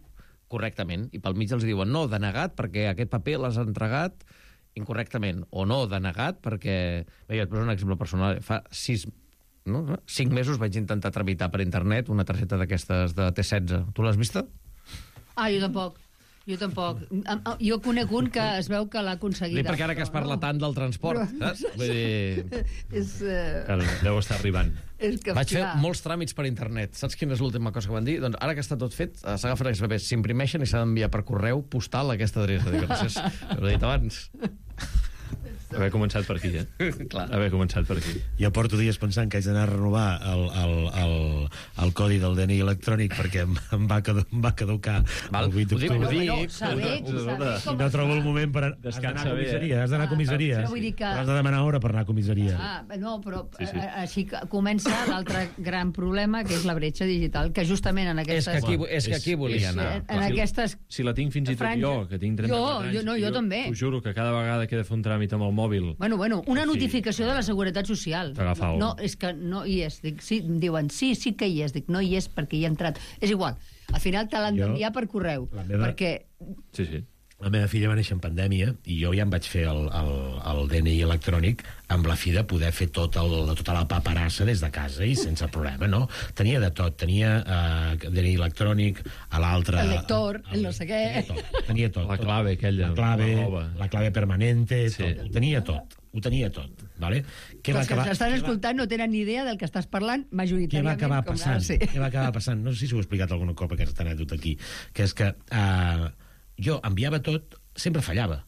correctament. I pel mig els diuen, no, denegat perquè aquest paper l'has entregat incorrectament, o no, denegat perquè... Bé, et poso un exemple personal. Fa 5 mesos vaig intentar tramitar per internet una targeta d'aquestes de T16. Tu l'has vista? Jo tampoc. Jo conec un que es veu que l'ha aconseguit. Perquè ara que es parla tant del transport, saps? Vull dir... Deu estar arribant. Vaig fer molts tràmits per internet. Saps quina és l'última cosa que van dir? Doncs ara que està tot fet, s'agafen aquests papers, s'imprimeixen i s'ha d'enviar per correu postal a aquesta adreça. Dic, gràcies, ho he dit abans. Haver començat per aquí, Clar. Haver començat per aquí. Jo porto dies pensant que haig d'anar a renovar el codi del DNI electrònic perquè em va caducar el 8 d'octubre. No trobo el moment per anar a comissaria. Has d'anar a comissaria. Has de demanar hora per anar a comissaria. No, però així comença l'altre gran problema, que és la bretxa digital, que justament en aquestes... És que aquí volia anar. En aquestes... Si la tinc fins i tot jo, que tinc 34 anys... Jo també. T'ho juro que cada vegada que he de fer un tràmit amb el mòbil... Bueno, una notificació de la Seguretat Social. No, és que no hi és. Dic, sí, em diuen, sí que hi és. Dic, no hi és perquè hi he entrat. És igual. Al final te l'han d'enviar per correu. Perquè... Sí. La meva filla va néixer en pandèmia i jo ja em vaig fer el DNI electrònic amb la fi de poder fer tota la paperassa des de casa i sense problema, no? Tenia de tot. Tenia DNI electrònic, a l'altre... El lector, el no sé què... Tenia tot. La clave aquella. La clave permanente, tot. Ho tenia tot. Vale? Els que s'estan escoltant no tenen ni idea del que estàs parlant majoritàriament. Què va acabar passant? No sé si ho he explicat alguna cop aquesta anècdota aquí, que és que jo enviava tot, sempre fallava.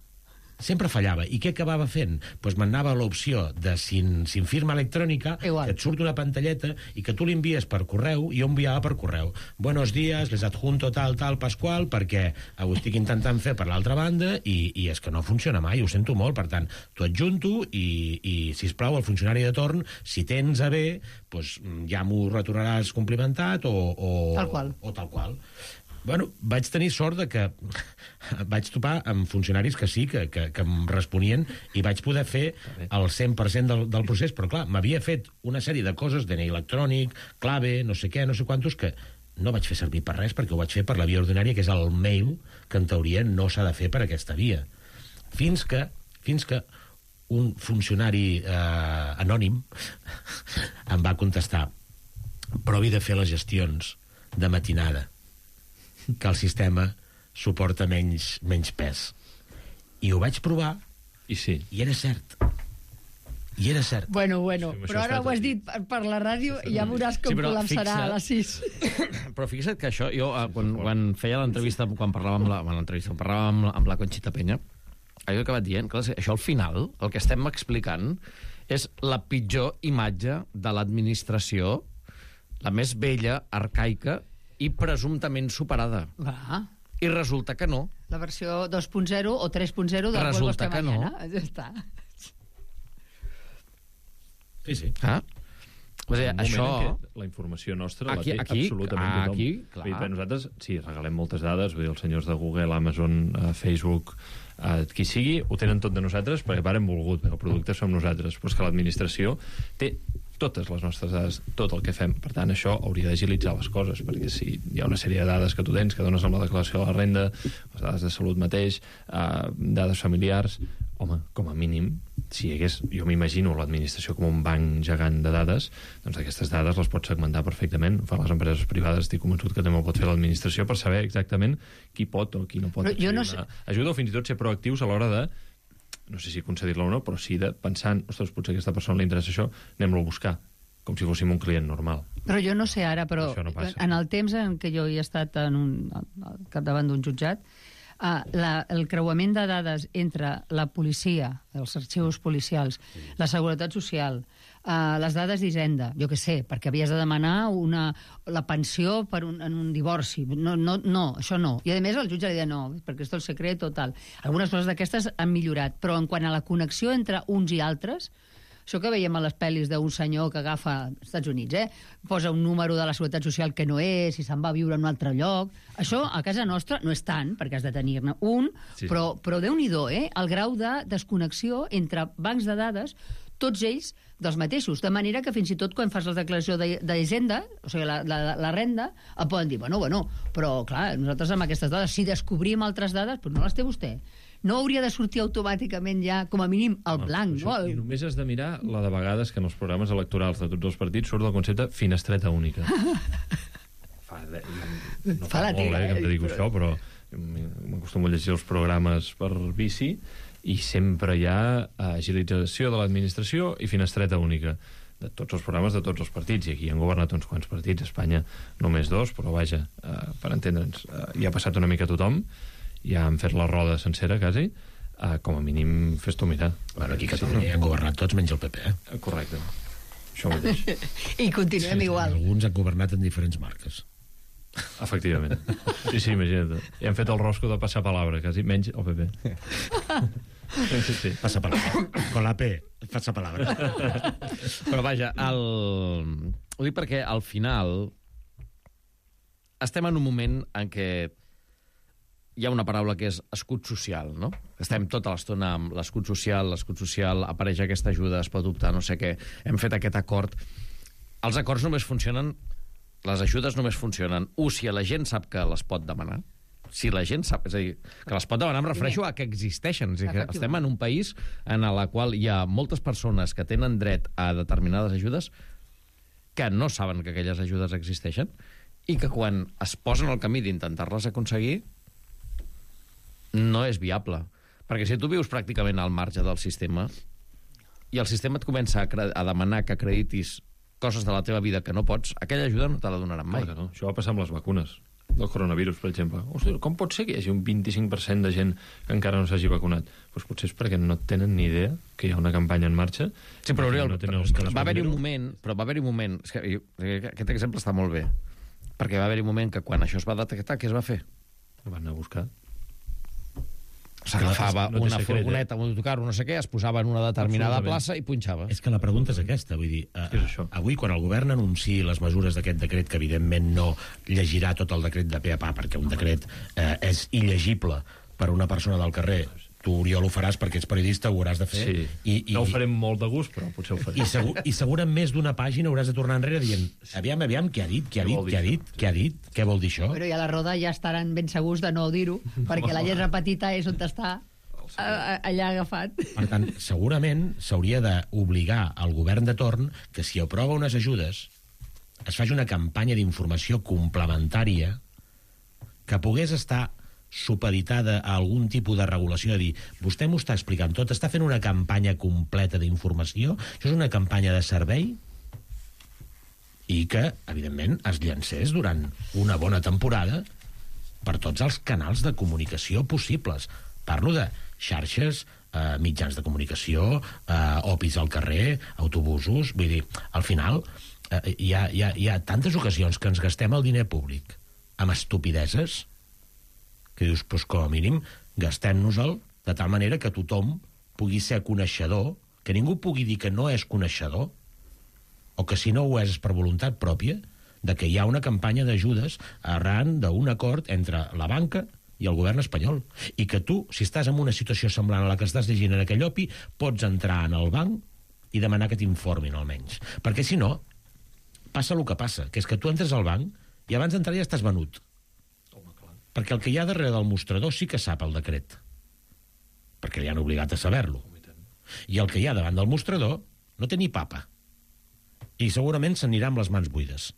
I què acabava fent? Doncs m'anava a l'opció de sin firma electrònica, que et surt una pantalleta i que tu l'envies per correu, i jo enviava per correu. Buenos días, les adjunto tal, Pasqual, perquè ho estic intentant fer per l'altra banda i és que no funciona mai, ho sento molt. Per tant, t'ho adjunto i sisplau, el funcionari de torn, si tens a bé, doncs ja m'ho retornaràs complimentat o tal qual. Bueno, vaig tenir sort de que vaig topar amb funcionaris que sí, que em responien, i vaig poder fer el 100% del procés, però clar, m'havia fet una sèrie de coses, DNI electrònic, clave, no sé què, no sé quantos, que no vaig fer servir per res, perquè ho vaig fer per la via ordinària, que és el mail, que en teoria no s'ha de fer per aquesta via. Fins que un funcionari anònim em va contestar: provi de fer les gestions de matinada, que el sistema suporta menys pes. I ho vaig provar, i sí. I era cert. I era cert. Bueno, però ara ho has dit per la ràdio i ja veuràs com col·lapsarà a les 6. Però fixa't que això, jo quan feia l'entrevista, quan parlàvem amb la Conxita Peña, allò que va dient, clar, això al final, el que estem explicant és la pitjor imatge de l'administració, la més vella, arcaica i presumptament superada. I resulta que no. La versió 2.0 o 3.0 del Resulta que no. Ja està. Sí. Això... La informació nostra la té absolutament tothom. Nosaltres, sí, regalem moltes dades, vull dir, els senyors de Google, Amazon, Facebook, qui sigui, ho tenen tot de nosaltres perquè hem volgut, perquè el producte som nosaltres, però és que l'administració té totes les nostres dades, tot el que fem. Per tant, això hauria d'agilitzar les coses, perquè si hi ha una sèrie de dades que tu tens, que dones amb la declaració de la renda, les dades de salut mateix, dades familiars, home, com a mínim, si hi hagués, jo m'imagino l'administració com un banc gegant de dades, doncs aquestes dades les pots segmentar perfectament. Per les empreses privades estic convençut que també ho pot fer l'administració per saber exactament qui pot o qui no pot ajuda, o fins i tot ser proactius a l'hora de, no sé si concedir-la o no, però sí de pensant, ostres, potser a aquesta persona li interessa això, anem-lo a buscar, com si fóssim un client normal. Però jo no sé ara, però no en el temps en què jo hi he estat al capdavant d'un jutjat, el creuament de dades entre la policia, els arxius policials, la seguretat social, les dades d'Hisenda, jo què sé, perquè havies de demanar la pensió en un divorci. No, això no. I a més el jutge li deia no, perquè és el secret o tal. Algunes coses d'aquestes han millorat, però en quant a la connexió entre uns i altres, això que veiem a les pel·lis d'un senyor que agafa als Estats Units, posa un número de la Seguretat Social que no és i se'n va a viure en un altre lloc. Això a casa nostra no és tant, perquè has de tenir-ne un, sí. Però Déu-n'hi-do, el grau de desconnexió entre bancs de dades, tots ells dels mateixos, de manera que fins i tot quan fas la declaració d'Hisenda, o sigui, la renda, et poden dir, bueno, però clar, nosaltres amb aquestes dades, si descobrim altres dades, però no les té vostè. No hauria de sortir automàticament ja, com a mínim, el blanc, no? I només has de mirar la de vegades que en els programes electorals de tots els partits surt el concepte finestreta única. No fa molt, que em dedico a això, però m'acostumo a llegir els programes per vici i sempre hi ha agilització de l'administració i finestreta única de tots els programes de tots els partits, i aquí han governat uns quants partits, a Espanya només 2, però vaja, per entendre'ns, hi ha passat una mica tothom, ja han fet la roda sencera, quasi, com a mínim fes-t'ho mirar. Bueno, aquí a Catalunya han governat tots menys el PP, Correcte. Això mateix. I continuem igual. Alguns han governat en diferents marques. Efectivament. Sí, imagina't. I han fet el rosco de passar palabra, quasi, menys el PP. Sí. Passa palabra. Con la P, passa palabra. Però vaja, ho dic perquè al final estem en un moment en què hi ha una paraula que és escut social, no? Estem tota l'estona amb l'escut social, apareix aquesta ajuda, es pot optar, no sé què, hem fet aquest acord. Els acords només funcionen, les ajudes només funcionen, si la gent sap que les pot demanar, si la gent sap, és a dir, que les pot demanar, em refereixo a que existeixen, és a dir, que estem en un país en el qual hi ha moltes persones que tenen dret a determinades ajudes que no saben que aquelles ajudes existeixen i que quan es posen al camí d'intentar-les aconseguir no és viable. Perquè si tu vius pràcticament al marge del sistema i el sistema et comença a demanar que acreditis coses de la teva vida que no pots, aquella ajuda no te la donaran mai. No. Això va passar amb les vacunes del coronavirus, per exemple. Hosti, com pot ser que hi hagi un 25% de gent que encara no s'hagi vacunat? Doncs potser és perquè no tenen ni idea que hi ha una campanya en marxa. Sí, però Oriol, va haver-hi un moment... És que aquest exemple està molt bé, perquè va haver-hi un moment que quan això es va detectar, què es va fer? Ho van anar a buscar. s'agafava una furgoneta, un autocar, no sé què, es posava en una determinada plaça i punxava. És que la pregunta és aquesta, vull dir, avui quan el govern anunciï les mesures d'aquest decret, que evidentment no llegirà tot el decret de pe a pa, perquè un decret és il·legible per una persona del carrer, tu, Oriol, ho faràs perquè ets periodista, ho hauràs de fer. Sí, no ho farem molt de gust, però potser ho farem. I segur en més d'una pàgina hauràs de tornar enrere dient, aviam, què ha dit, què vol dir això? Però i a la roda ja estaran ben segurs de no dir-ho, perquè la lletra petita és on està allà agafat. Per tant, segurament s'hauria d'obligar al govern de torn que si aprova unes ajudes es faci una campanya d'informació complementària que pogués estar supeditada a algun tipus de regulació, de dir, vostè m'ho està explicant tot, està fent una campanya completa d'informació, això és una campanya de servei, i que, evidentment, es llancés durant una bona temporada per tots els canals de comunicació possibles. Parlo de xarxes, mitjans de comunicació, opis al carrer, autobusos, vull dir, al final hi ha tantes ocasions que ens gastem el diner públic amb estupideses que dius, doncs com a mínim gastem-nos-el de tal manera que tothom pugui ser coneixedor, que ningú pugui dir que no és coneixedor, o que si no ho és per voluntat pròpia, de que hi ha una campanya d'ajudes arran d'un acord entre la banca i el govern espanyol. I que tu, si estàs en una situació semblant a la que estàs llegint en aquell opi, pots entrar en el banc i demanar que t'informin almenys. Perquè si no, passa el que passa, que és que tu entres al banc i abans d'entrar ja estàs venut. Perquè el que hi ha darrere del mostrador sí que sap el decret, perquè li han obligat a saber-lo, i el que hi ha davant del mostrador no té ni papa, i segurament s'anirà amb les mans buides.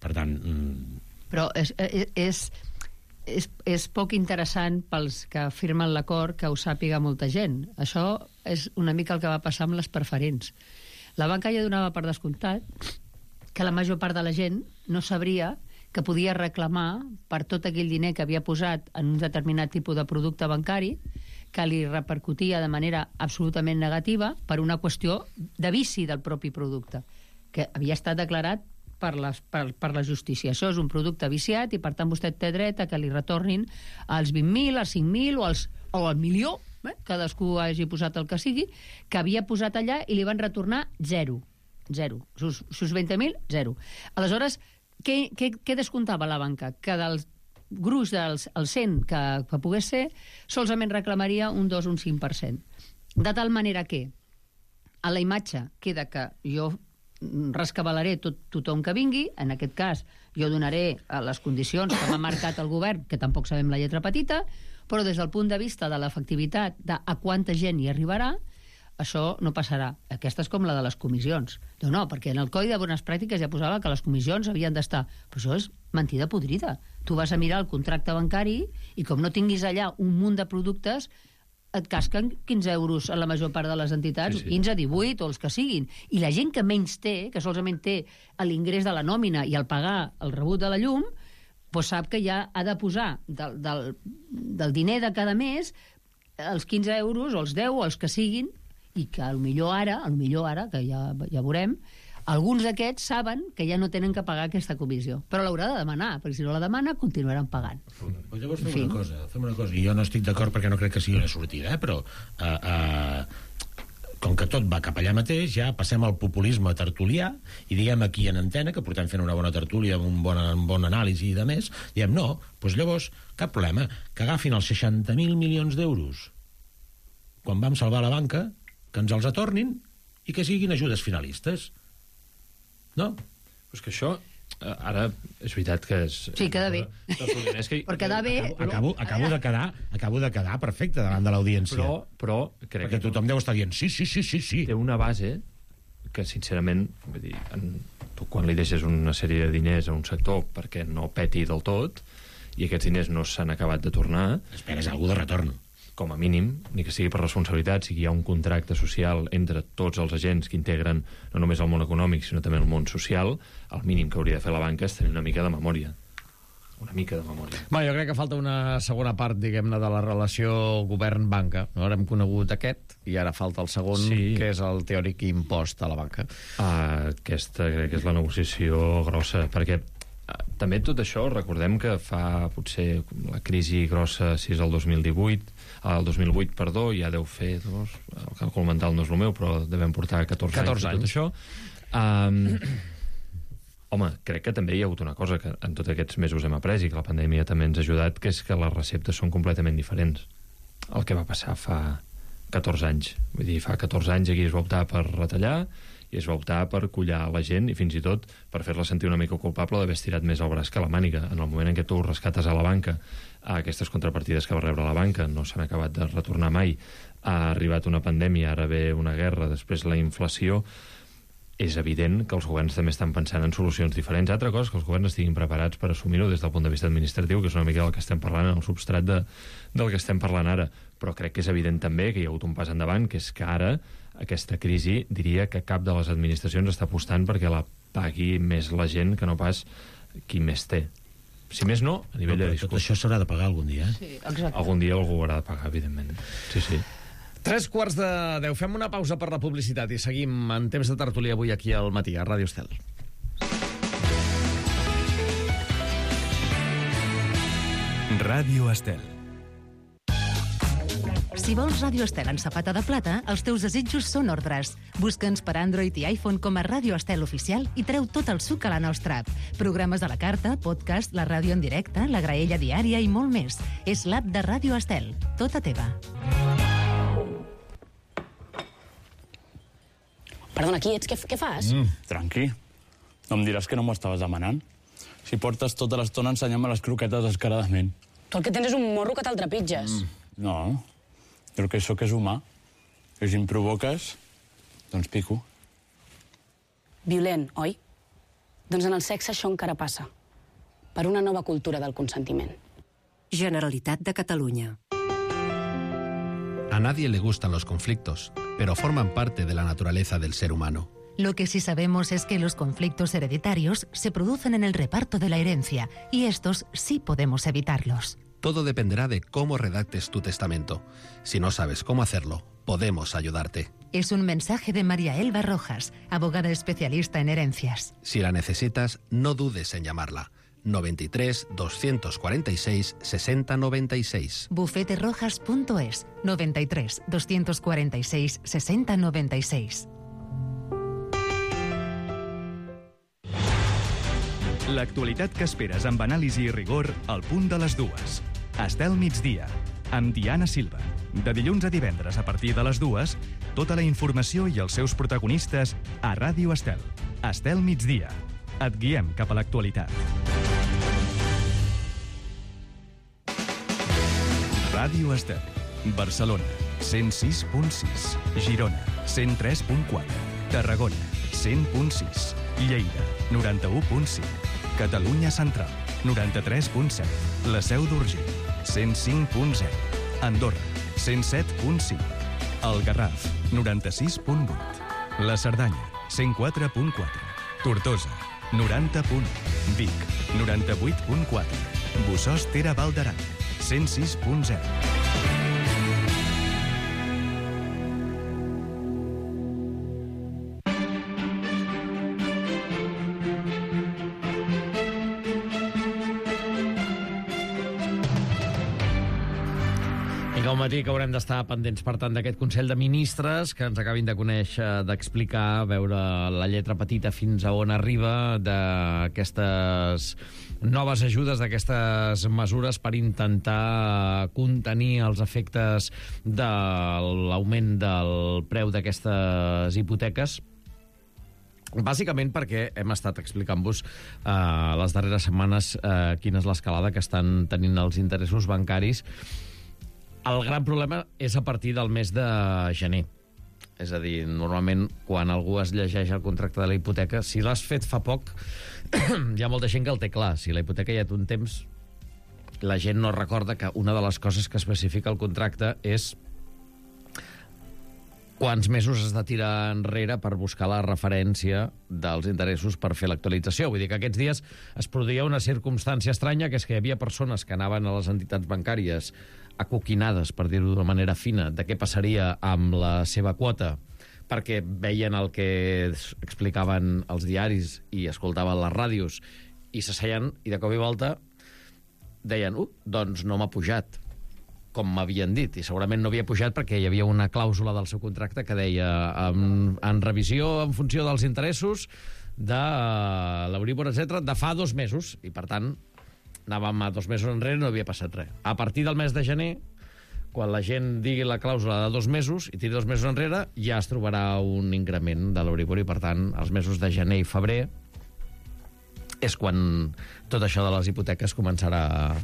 Per tant... Però és poc interessant pels que firmen l'acord que ho sàpiga molta gent. Això és una mica el que va passar amb les preferents. La banca ja donava per descomptat que la major part de la gent no sabria que podia reclamar per tot aquell diner que havia posat en un determinat tipus de producte bancari que li repercutia de manera absolutament negativa per una qüestió de vici del propi producte, que havia estat declarat per la justícia. Això és un producte viciat i, per tant, vostè té dret a que li retornin als 20.000, als 5.000 o al milió, cadascú hagi posat el que sigui, que havia posat allà i li van retornar zero. Sus 20.000, zero. Aleshores, què descomptava la banca? Que del gruix del 100 que pogués ser, solament reclamaria un 2 o un 5%. De tal manera que a la imatge queda que jo rescabalaré tothom que vingui, en aquest cas jo donaré les condicions que m'ha marcat el govern, que tampoc sabem la lletra petita, però des del punt de vista de l'efectivitat de a quanta gent hi arribarà, això no passarà. Aquesta és com la de les comissions. No, perquè en el Codi de Bones Pràctiques ja posava que les comissions havien d'estar. Però això és mentida podrida. Tu vas a mirar el contracte bancari i com no tinguis allà un munt de productes, et casquen 15 euros a la major part de les entitats, sí. 15, 18 o els que siguin. I la gent que menys té, que solament té l'ingrés de la nòmina i el pagar el rebut de la llum, doncs sap que ja ha de posar del diner de cada mes els 15 euros o els 10 o els que siguin, i que potser ara, que ja veurem, alguns d'aquests saben que ja no tenen que pagar aquesta comissió. Però l'haurà de demanar, perquè si no la demana continuaran pagant. Pues llavors fem una cosa, i jo no estic d'acord perquè no crec que sigui una sortida, però com que tot va cap allà mateix, ja passem al populisme tertulià i diem aquí en antena, que portem fent una bona tertúlia amb un bon anàlisi i de més, diem no, doncs llavors cap problema, que agafin els 60.000 milions d'euros quan vam salvar la banca, que ens els atornin i que siguin ajudes finalistes. No? Però és que això, ara, és veritat que és... Sí, queda bé. Per quedar bé... Acabo de quedar perfecte davant de l'audiència. Però crec perquè tothom deu estar dient sí. Té una base que, sincerament, vull dir, tu quan li deixes una sèrie de diners a un sector perquè no peti del tot i aquests diners no s'han acabat de tornar... Esperes algú de retorn. Com a mínim, ni que sigui per responsabilitat, si hi ha un contracte social entre tots els agents que integren no només el món econòmic, sinó també el món social, el mínim que hauria de fer la banca és tenir una mica de memòria. Una mica de memòria. Jo crec que falta una segona part, diguem-ne, de la relació govern-banca. Ara hem conegut aquest, i ara falta el segon, que és el teòric impost a la banca. Aquesta crec que és la negociació grossa, perquè També tot això, recordem que fa potser la crisi grossa, si és el 2008, perdó, ja deu fer el càlcul mental no és el meu, però devem portar 14 anys. Tot això. Home, crec que també hi ha hagut una cosa que en tots aquests mesos hem après i que la pandèmia també ens ha ajudat, que és que les receptes són completament diferents. El que va passar fa 14 anys. Vull dir, fa 14 anys aquí es va optar per retallar i es va optar per collar la gent i fins i tot per fer-la sentir una mica culpable d'haver estirat més el braç que la màniga. En el moment en què tu rescates a la banca aquestes contrapartides que va rebre la banca no s'han acabat de retornar mai, ha arribat una pandèmia, ara ve una guerra, després la inflació. És evident que els governs també estan pensant en solucions diferents. Altra cosa és que els governs estiguin preparats per assumir-ho des del punt de vista administratiu, que és una mica del que estem parlant, en el substrat del que estem parlant ara. Però crec que és evident també que hi ha hagut un pas endavant, que és que ara aquesta crisi, diria que cap de les administracions està apostant perquè la pagui més la gent que no pas qui més té. Si més no, a nivell de discurs. Tot això s'haurà de pagar algun dia. Sí, exacte. Algun dia algú haurà de pagar, evidentment. Sí. 9:03. Fem una pausa per la publicitat i seguim en temps de tertúlia avui aquí al matí, a Ràdio Estel. Ràdio Estel. Si vols Ràdio Estel en safata de plata, els teus desitjos són ordres. Busca'ns per Android i iPhone com a Ràdio Estel Oficial i treu tot el suc a la nostra app. Programes a la carta, podcast, la ràdio en directe, la graella diària i molt més. És l'app de Ràdio Estel. Tota teva. Perdona, qui ets? Què fas? Tranqui. No em diràs que no m'ho estaves demanant? Si portes tota l'estona ensenyant-me les croquetes descaradament. Tu el que tens és un morro que te'l trepitges. No, jo el que sóc és humà. I si em provoques, doncs pico. Violent, oi? Doncs en el sexe això encara passa. Per una nova cultura del consentiment. Generalitat de Catalunya. A nadie le gustan los conflictos, pero forman parte de la naturaleza del ser humano. Lo que sí sabemos es que los conflictos hereditarios se producen en el reparto de la herencia, y estos sí podemos evitarlos. Todo dependerá de cómo redactes tu testamento. Si no sabes cómo hacerlo, podemos ayudarte. Es un mensaje de María Elba Rojas, abogada especialista en herencias. Si la necesitas, no dudes en llamarla. 93 246 60 96. Bufeterojas.es 93 246 60 96. L'actualitat que esperes amb anàlisi i rigor al punt de les dues. Estel migdia, amb Diana Silva. De dilluns a divendres a partir de les 2, tota la informació i els seus protagonistes a Ràdio Estel. Estel migdia. Et guiem cap a l'actualitat. Ràdio Estel. Barcelona, 106.6. Girona, 103.4. Tarragona, 100.6. Lleida, 91.5. Catalunya Central, 93.7. La Seu d'Urgell, 105.0. Andorra, 107.5. El Garraf, 96.8. La Cerdanya, 104.4. Tortosa, 90.1. Vic, 98.4. Bossòst Tere Val d'Aran, 106.0. Al matí que haurem d'estar pendents, per tant, d'aquest Consell de Ministres que ens acabin de conèixer, d'explicar, veure la lletra petita fins a on arriba d'aquestes noves ajudes, d'aquestes mesures per intentar contenir els efectes de l'augment del preu d'aquestes hipoteques. Bàsicament perquè hem estat explicant-vos les darreres setmanes quina és l'escalada que estan tenint els interessos bancaris. El gran problema és a partir del mes de gener. És a dir, normalment, quan algú es llegeix el contracte de la hipoteca, si l'has fet fa poc, hi ha molta gent que el té clar. Si la hipoteca ja té un temps, la gent no recorda que una de les coses que especifica el contracte és quants mesos has de tirar enrere per buscar la referència dels interessos per fer l'actualització. Vull dir que aquests dies es produïa una circumstància estranya, que és que hi havia persones que anaven a les entitats bancàries acoquinades, per dir-ho d'una manera fina, de què passaria amb la seva quota, perquè veien el que explicaven els diaris i escoltaven les ràdios i s'asseien, i de cop i volta deien, doncs no m'ha pujat, com m'havien dit, i segurament no havia pujat perquè hi havia una clàusula del seu contracte que deia en revisió en funció dels interessos de l'Euríbor, etc., de fa 2 mesos, i per tant anàvem a 2 mesos enrere i no havia passat res. A partir del mes de gener, quan la gent digui la clàusula de 2 mesos i tiri 2 mesos enrere, ja es trobarà un increment de l'Euríbor, i per tant els mesos de gener i febrer és quan tot això de les hipoteques començarà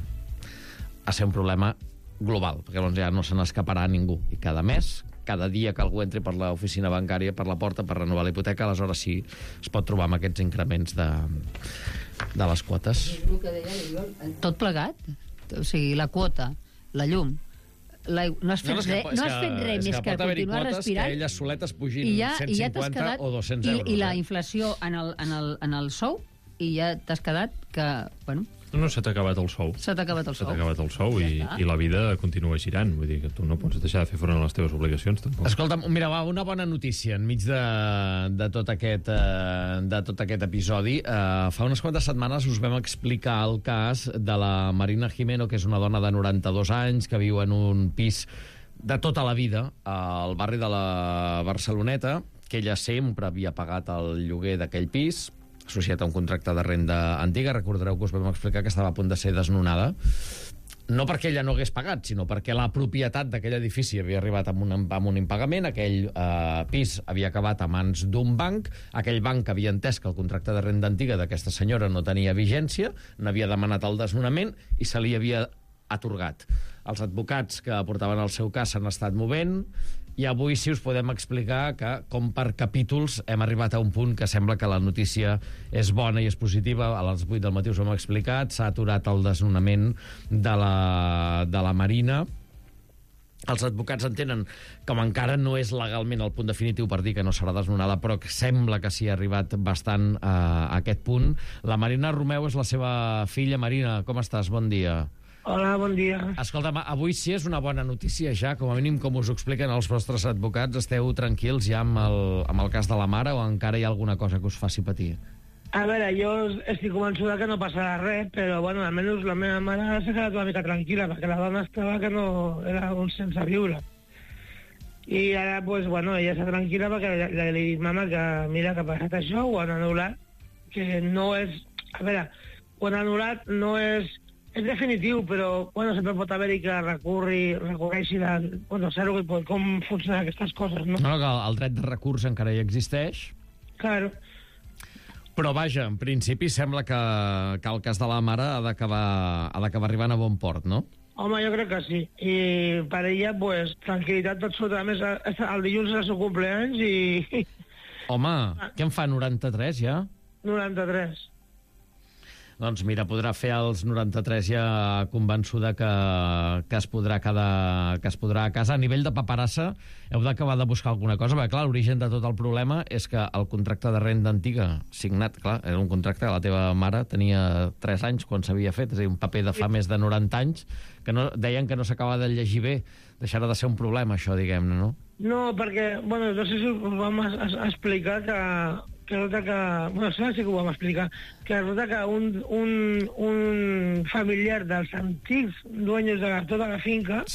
a ser un problema global, perquè llavors ja no se n'escaparà ningú. I cada mes, cada dia que algú entri per l'oficina bancària, per la porta, per renovar la hipoteca, aleshores sí es pot trobar amb aquests increments de les quotes. Tot plegat? O sigui, la quota, la llum, no has fet res més que continuar respirant. Que elles soletes pugin 150 o 200 euros. I la inflació en el sou, i ja t'has quedat que, bueno... No, se t'ha acabat el sou. Se t'ha acabat el sou. Se t'ha acabat el sou i la vida continua girant. Vull dir que tu no pots deixar de fer front a les teves obligacions, tampoc. Escolta'm, mira, una bona notícia enmig de tot aquest episodi. Fa unes quantes setmanes us vam explicar el cas de la Marina Jimeno, que és una dona de 92 anys que viu en un pis de tota la vida al barri de la Barceloneta, que ella sempre havia pagat el lloguer d'aquell pis, associat a un contracte de renda antiga. Recordareu que us vam explicar que estava a punt de ser desnonada, no perquè ella no hagués pagat, sinó perquè la propietat d'aquell edifici havia arribat amb un impagament, aquell pis havia acabat a mans d'un banc, aquell banc havia entès que el contracte de renda antiga d'aquesta senyora no tenia vigència, n'havia demanat el desnonament i se li havia atorgat. Els advocats que portaven el seu cas s'han estat movent, i avui sí us podem explicar que, com per capítols, hem arribat a un punt que sembla que la notícia és bona i és positiva. A les 8 del matí us ho hem explicat. S'ha aturat el desnonament de la Marina. Els advocats entenen que encara no és legalment el punt definitiu per dir que no serà desnonada, però que sembla que s'hi ha arribat bastant a aquest punt. La Marina Romeu és la seva filla. Marina, com estàs? Bon dia. Hola, bon dia. Escolta'm, avui sí és una bona notícia ja, com a mínim com us ho expliquen els vostres advocats. Esteu tranquils ja amb el cas de la mare, o encara hi ha alguna cosa que us faci patir? A veure, jo estic convençuda que no passarà res, però bueno, almenys la meva mare s'ha quedat una mica tranquil·la, perquè la dona estava que no era un sense viure. I ara, pues, bueno, ella està tranquil·la perquè li he dit, mama, que mira que ha passat això, ho han anul·lat, que no és... A veure, ho han anul·lat, no és definitiu, però bueno, sempre pot haver-hi que recorreixi bueno, saber com funcionen aquestes coses, no? No, que el dret de recurs encara hi existeix. Claro. Però vaja, en principi sembla que el cas de la mare ha d'acabar arribant a bon port, no? Home, jo crec que sí. I per ella, pues, tranquil·litat absoluta. A més, el dilluns és el seu cumpleaños i... Home, què en fa, 93 ja? 93. Doncs mira, podrà fer els 93 ja convençuda que es podrà a casa. A nivell de paperassa, heu d'acabar de buscar alguna cosa, perquè clar, l'origen de tot el problema és que el contracte de renda antiga signat, clar, era un contracte que la teva mare tenia 3 anys quan s'havia fet, és a dir, un paper de fa més de 90 anys, que deien que no s'acaba de llegir bé. Deixarà de ser un problema, això, diguem-ne, no? No, perquè, bueno, no sé si us vam explicar que resulta que... Bueno, sí que ho vam explicar. Que resulta que un familiar dels antics dueños de tota la finca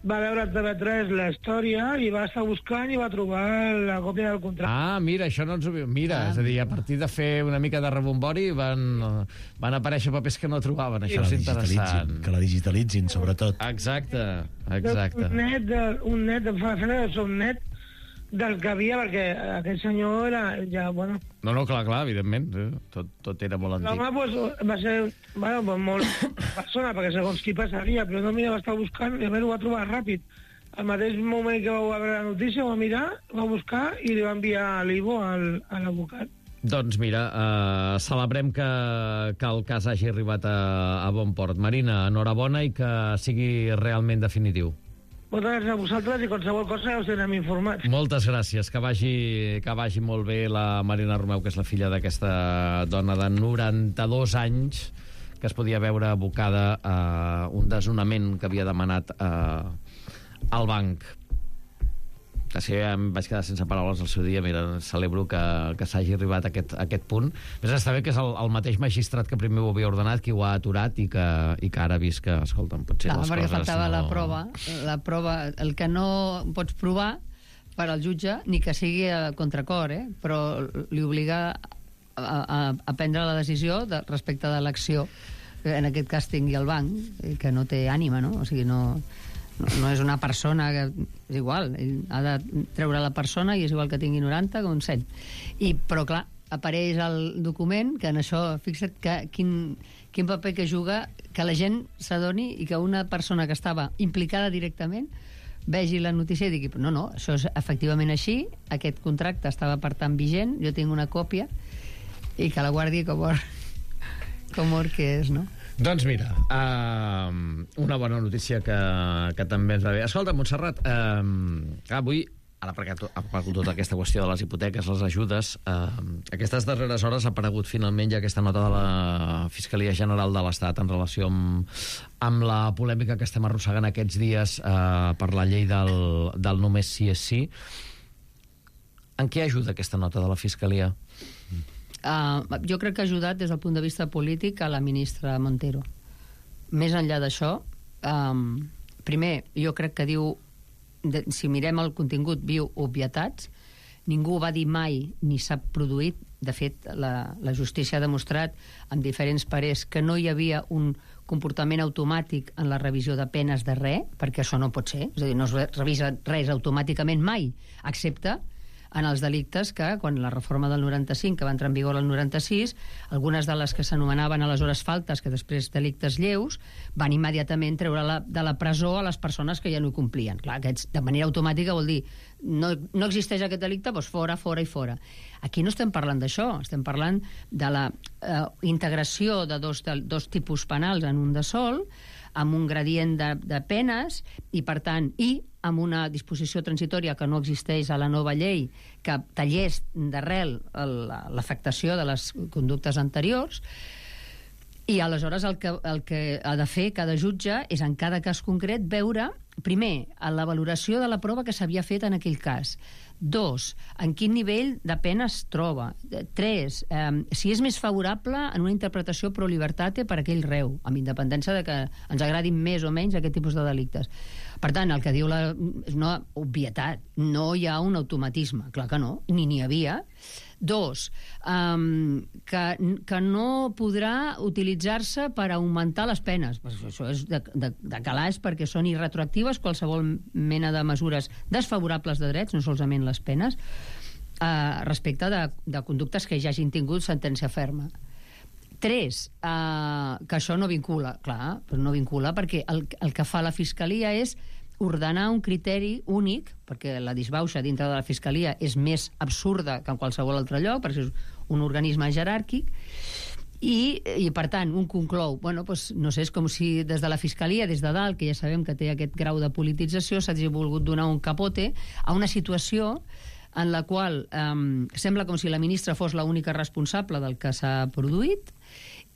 va veure a TV3 la història i va estar buscant i va trobar la còpia del contracte. Ah, mira, això no ens ho... Mira, és a dir, a partir de fer una mica de rebombori van aparèixer papers que no trobaven. Això és interessant. Que la digitalitzin, sobretot. Exacte. Un net del que havia, perquè aquell senyor era ja, bueno... No, clar, evidentment. Tot era molt antic. L'home, pues, va ser, bueno, molt persona, perquè segons qui passaria, però no, mira, va estar buscant i a més ho va trobar ràpid. Al mateix moment que va veure la notícia, va mirar, va buscar i li va enviar a l'Ivo, a l'advocat. Doncs mira, celebrem que el cas hagi arribat a bon port. Marina, enhorabona i que sigui realment definitiu. Moltes gràcies a vosaltres i qualsevol cosa us tindrem informats. Moltes gràcies. Que vagi molt bé la Marina Romeu, que és la filla d'aquesta dona de 92 anys que es podia veure abocada a un desnonament que havia demanat al banc. sí, em vaig quedar sense paraules al seu dia. Mira, celebro que s'hagi arribat a aquest punt. Més està bé que és el mateix magistrat que primer ho havia ordenat qui ho ha aturat i que ara ha vist que, escolta'm, potser les coses... Perquè faltava la prova, el que no pots provar per al jutge, ni que sigui a contracor, però li obliga a prendre la decisió respecte de l'acció, en aquest cas tingui el banc, que no té ànima, no? O sigui, no és una persona que... És igual, ell ha de treure la persona i és igual que tingui 90 com 100. Però, clar, apareix el document que en això, fixa't que quin paper que juga, que la gent s'adoni i que una persona que estava implicada directament vegi la notícia i digui, no, això és efectivament així, aquest contracte estava per tant vigent, jo tinc una còpia i que la guardi com or que és, no? Doncs mira, una bona notícia que també ens va bé. Escolta, Montserrat, avui, ara perquè ha aparegut tota aquesta qüestió de les hipoteques, les ajudes, aquestes darreres hores ha aparegut finalment ja aquesta nota de la Fiscalia General de l'Estat en relació amb la polèmica que estem arrossegant aquests dies per la llei del només sí és sí. En què ajuda aquesta nota de la Fiscalia? Jo crec que ha ajudat des del punt de vista polític a la ministra Montero. Més enllà d'això, primer, jo crec que diu, si mirem el contingut, viu obvietats, ningú va dir mai ni s'ha produït. De fet, la justícia ha demostrat amb diferents parers que no hi havia un comportament automàtic en la revisió de penes de res, perquè això no pot ser, és a dir, no es revisa res automàticament mai, excepte en els delictes que, quan la reforma del 95, que va entrar en vigor el 96, algunes de les que s'anomenaven aleshores faltes, que després delictes lleus, van immediatament treure de la presó a les persones que ja no ho complien. Clar, aquests, de manera automàtica, vol dir no existeix aquest delicte, doncs fora, fora i fora. Aquí no estem parlant d'això, estem parlant de la integració de dos tipus penals en un de sol, amb un gradient de penes i, per tant, amb una disposició transitòria que no existeix a la nova llei que tallés d'arrel l'afectació de les conductes anteriors. I aleshores el que ha de fer cada jutge és, en cada cas concret, veure, primer, la valoració de la prova que s'havia fet en aquell cas. 2, en quin nivell de pena es troba. 3, si és més favorable en una interpretació pro libertate per aquell reu, amb independència de que ens agradin més o menys aquest tipus de delictes. Per tant, el que diu és una obvietat. No hi ha un automatisme. Clar que no, ni n'hi havia. 2, que no podrà utilitzar-se per augmentar les penes. Això és de calaix, perquè són irretroactives qualsevol mena de mesures desfavorables de drets, no solament les penes, respecte de conductes que ja hagin tingut sentència ferma. 3, que això no vincula. Clar, però no vincula perquè el que fa la Fiscalia és ordenar un criteri únic, perquè la disbauxa dintre de la Fiscalia és més absurda que en qualsevol altre lloc, perquè és un organisme jeràrquic, i per tant, un conclou, no sé, és com si des de la Fiscalia, des de dalt, que ja sabem que té aquest grau de politització, s'hagi volgut donar un capote a una situació en la qual sembla com si la ministra fos l'única responsable del que s'ha produït,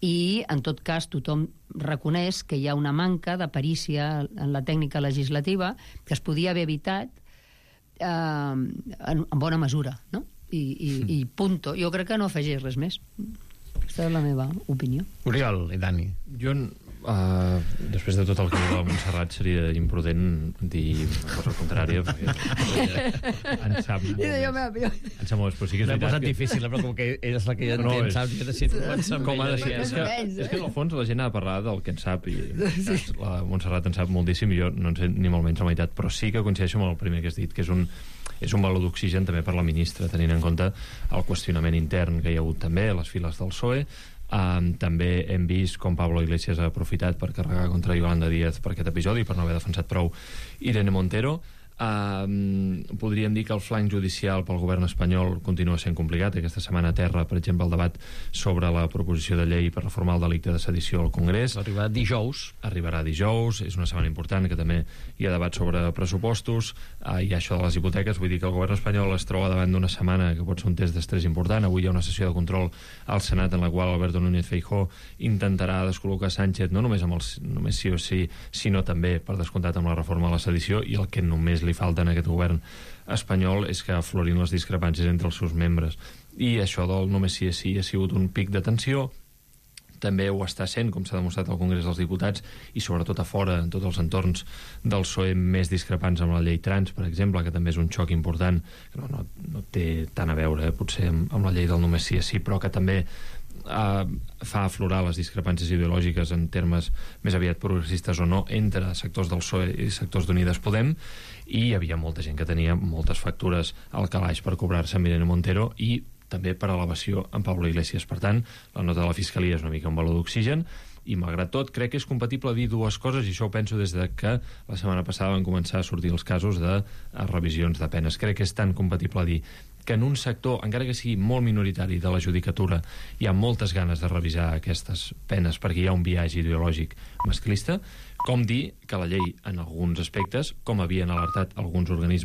i en tot cas tothom reconeix que hi ha una manca de perícia en la tècnica legislativa que es podia haver evitat en bona mesura, no? I punto. Jo crec que no afegeix res més. Aquesta és la meva opinió. Oriol i Dani. Jo, després de tot el que diu la Montserrat, seria imprudent dir una cosa contrària, perquè en sap molt més. En sap molt més, però sí que és veritat. L'he posat difícil, però com que ella és la que ja entén, saps? Jo decido com ha de ser. És que, en el fons, la gent ha de parlar del que en sap, i la Montserrat en sap moltíssim, i jo no en sé ni molt menys la meitat, però sí que coincideixo amb el primer que has dit, que és un valor d'oxigen també per la ministra, tenint en compte el qüestionament intern que hi ha hagut també a les files del PSOE. També hem vist com Pablo Iglesias ha aprofitat per carregar contra Yolanda Díaz per aquest episodi, per no haver defensat prou Irene Montero. Podríem dir que el flanc judicial pel govern espanyol continua sent complicat. Aquesta setmana a terra, per exemple, el debat sobre la proposició de llei per reformar el delicte de sedició al Congrés. Arribarà dijous, és una setmana important, que també hi ha debat sobre pressupostos, hi ha això de les hipoteques. Vull dir que el govern espanyol es troba davant d'una setmana que pot ser un test d'estrès important. Avui hi ha una sessió de control al Senat en la qual Alberto Núñez Feijóo intentarà descol·locar Sánchez no només amb el només sí o sí, sinó també, per descomptat, amb la reforma de la sedició, i el que només li li falta en aquest govern espanyol és que aflorin les discrepàncies entre els seus membres. I això del només sí és sí ha sigut un pic de tensió. També ho està sent, com s'ha demostrat al Congrés dels Diputats, i sobretot a fora, en tots els entorns del PSOE més discrepants amb la llei trans, per exemple, que també és un xoc important, que no té tant a veure, potser, amb la llei del només sí és sí, però que també fa aflorar les discrepàncies ideològiques en termes més aviat progressistes o no entre sectors del PSOE i sectors d'Unides Podem, i hi havia molta gent que tenia moltes factures al calaix per cobrar-se amb Irene Montero i també per elevació en Pablo Iglesias. Per tant, la nota de la Fiscalia és una mica un baló d'oxigen, i malgrat tot crec que és compatible dir dues coses, i això ho penso des de que la setmana passada van començar a sortir els casos de revisions de penes. Crec que és tan compatible dir que en un sector, encara que sigui molt minoritari de la judicatura, hi ha moltes ganes de revisar aquestes penes perquè hi ha un biaix ideològic masclista, com dir que la llei, en alguns aspectes, com havien alertat alguns organismes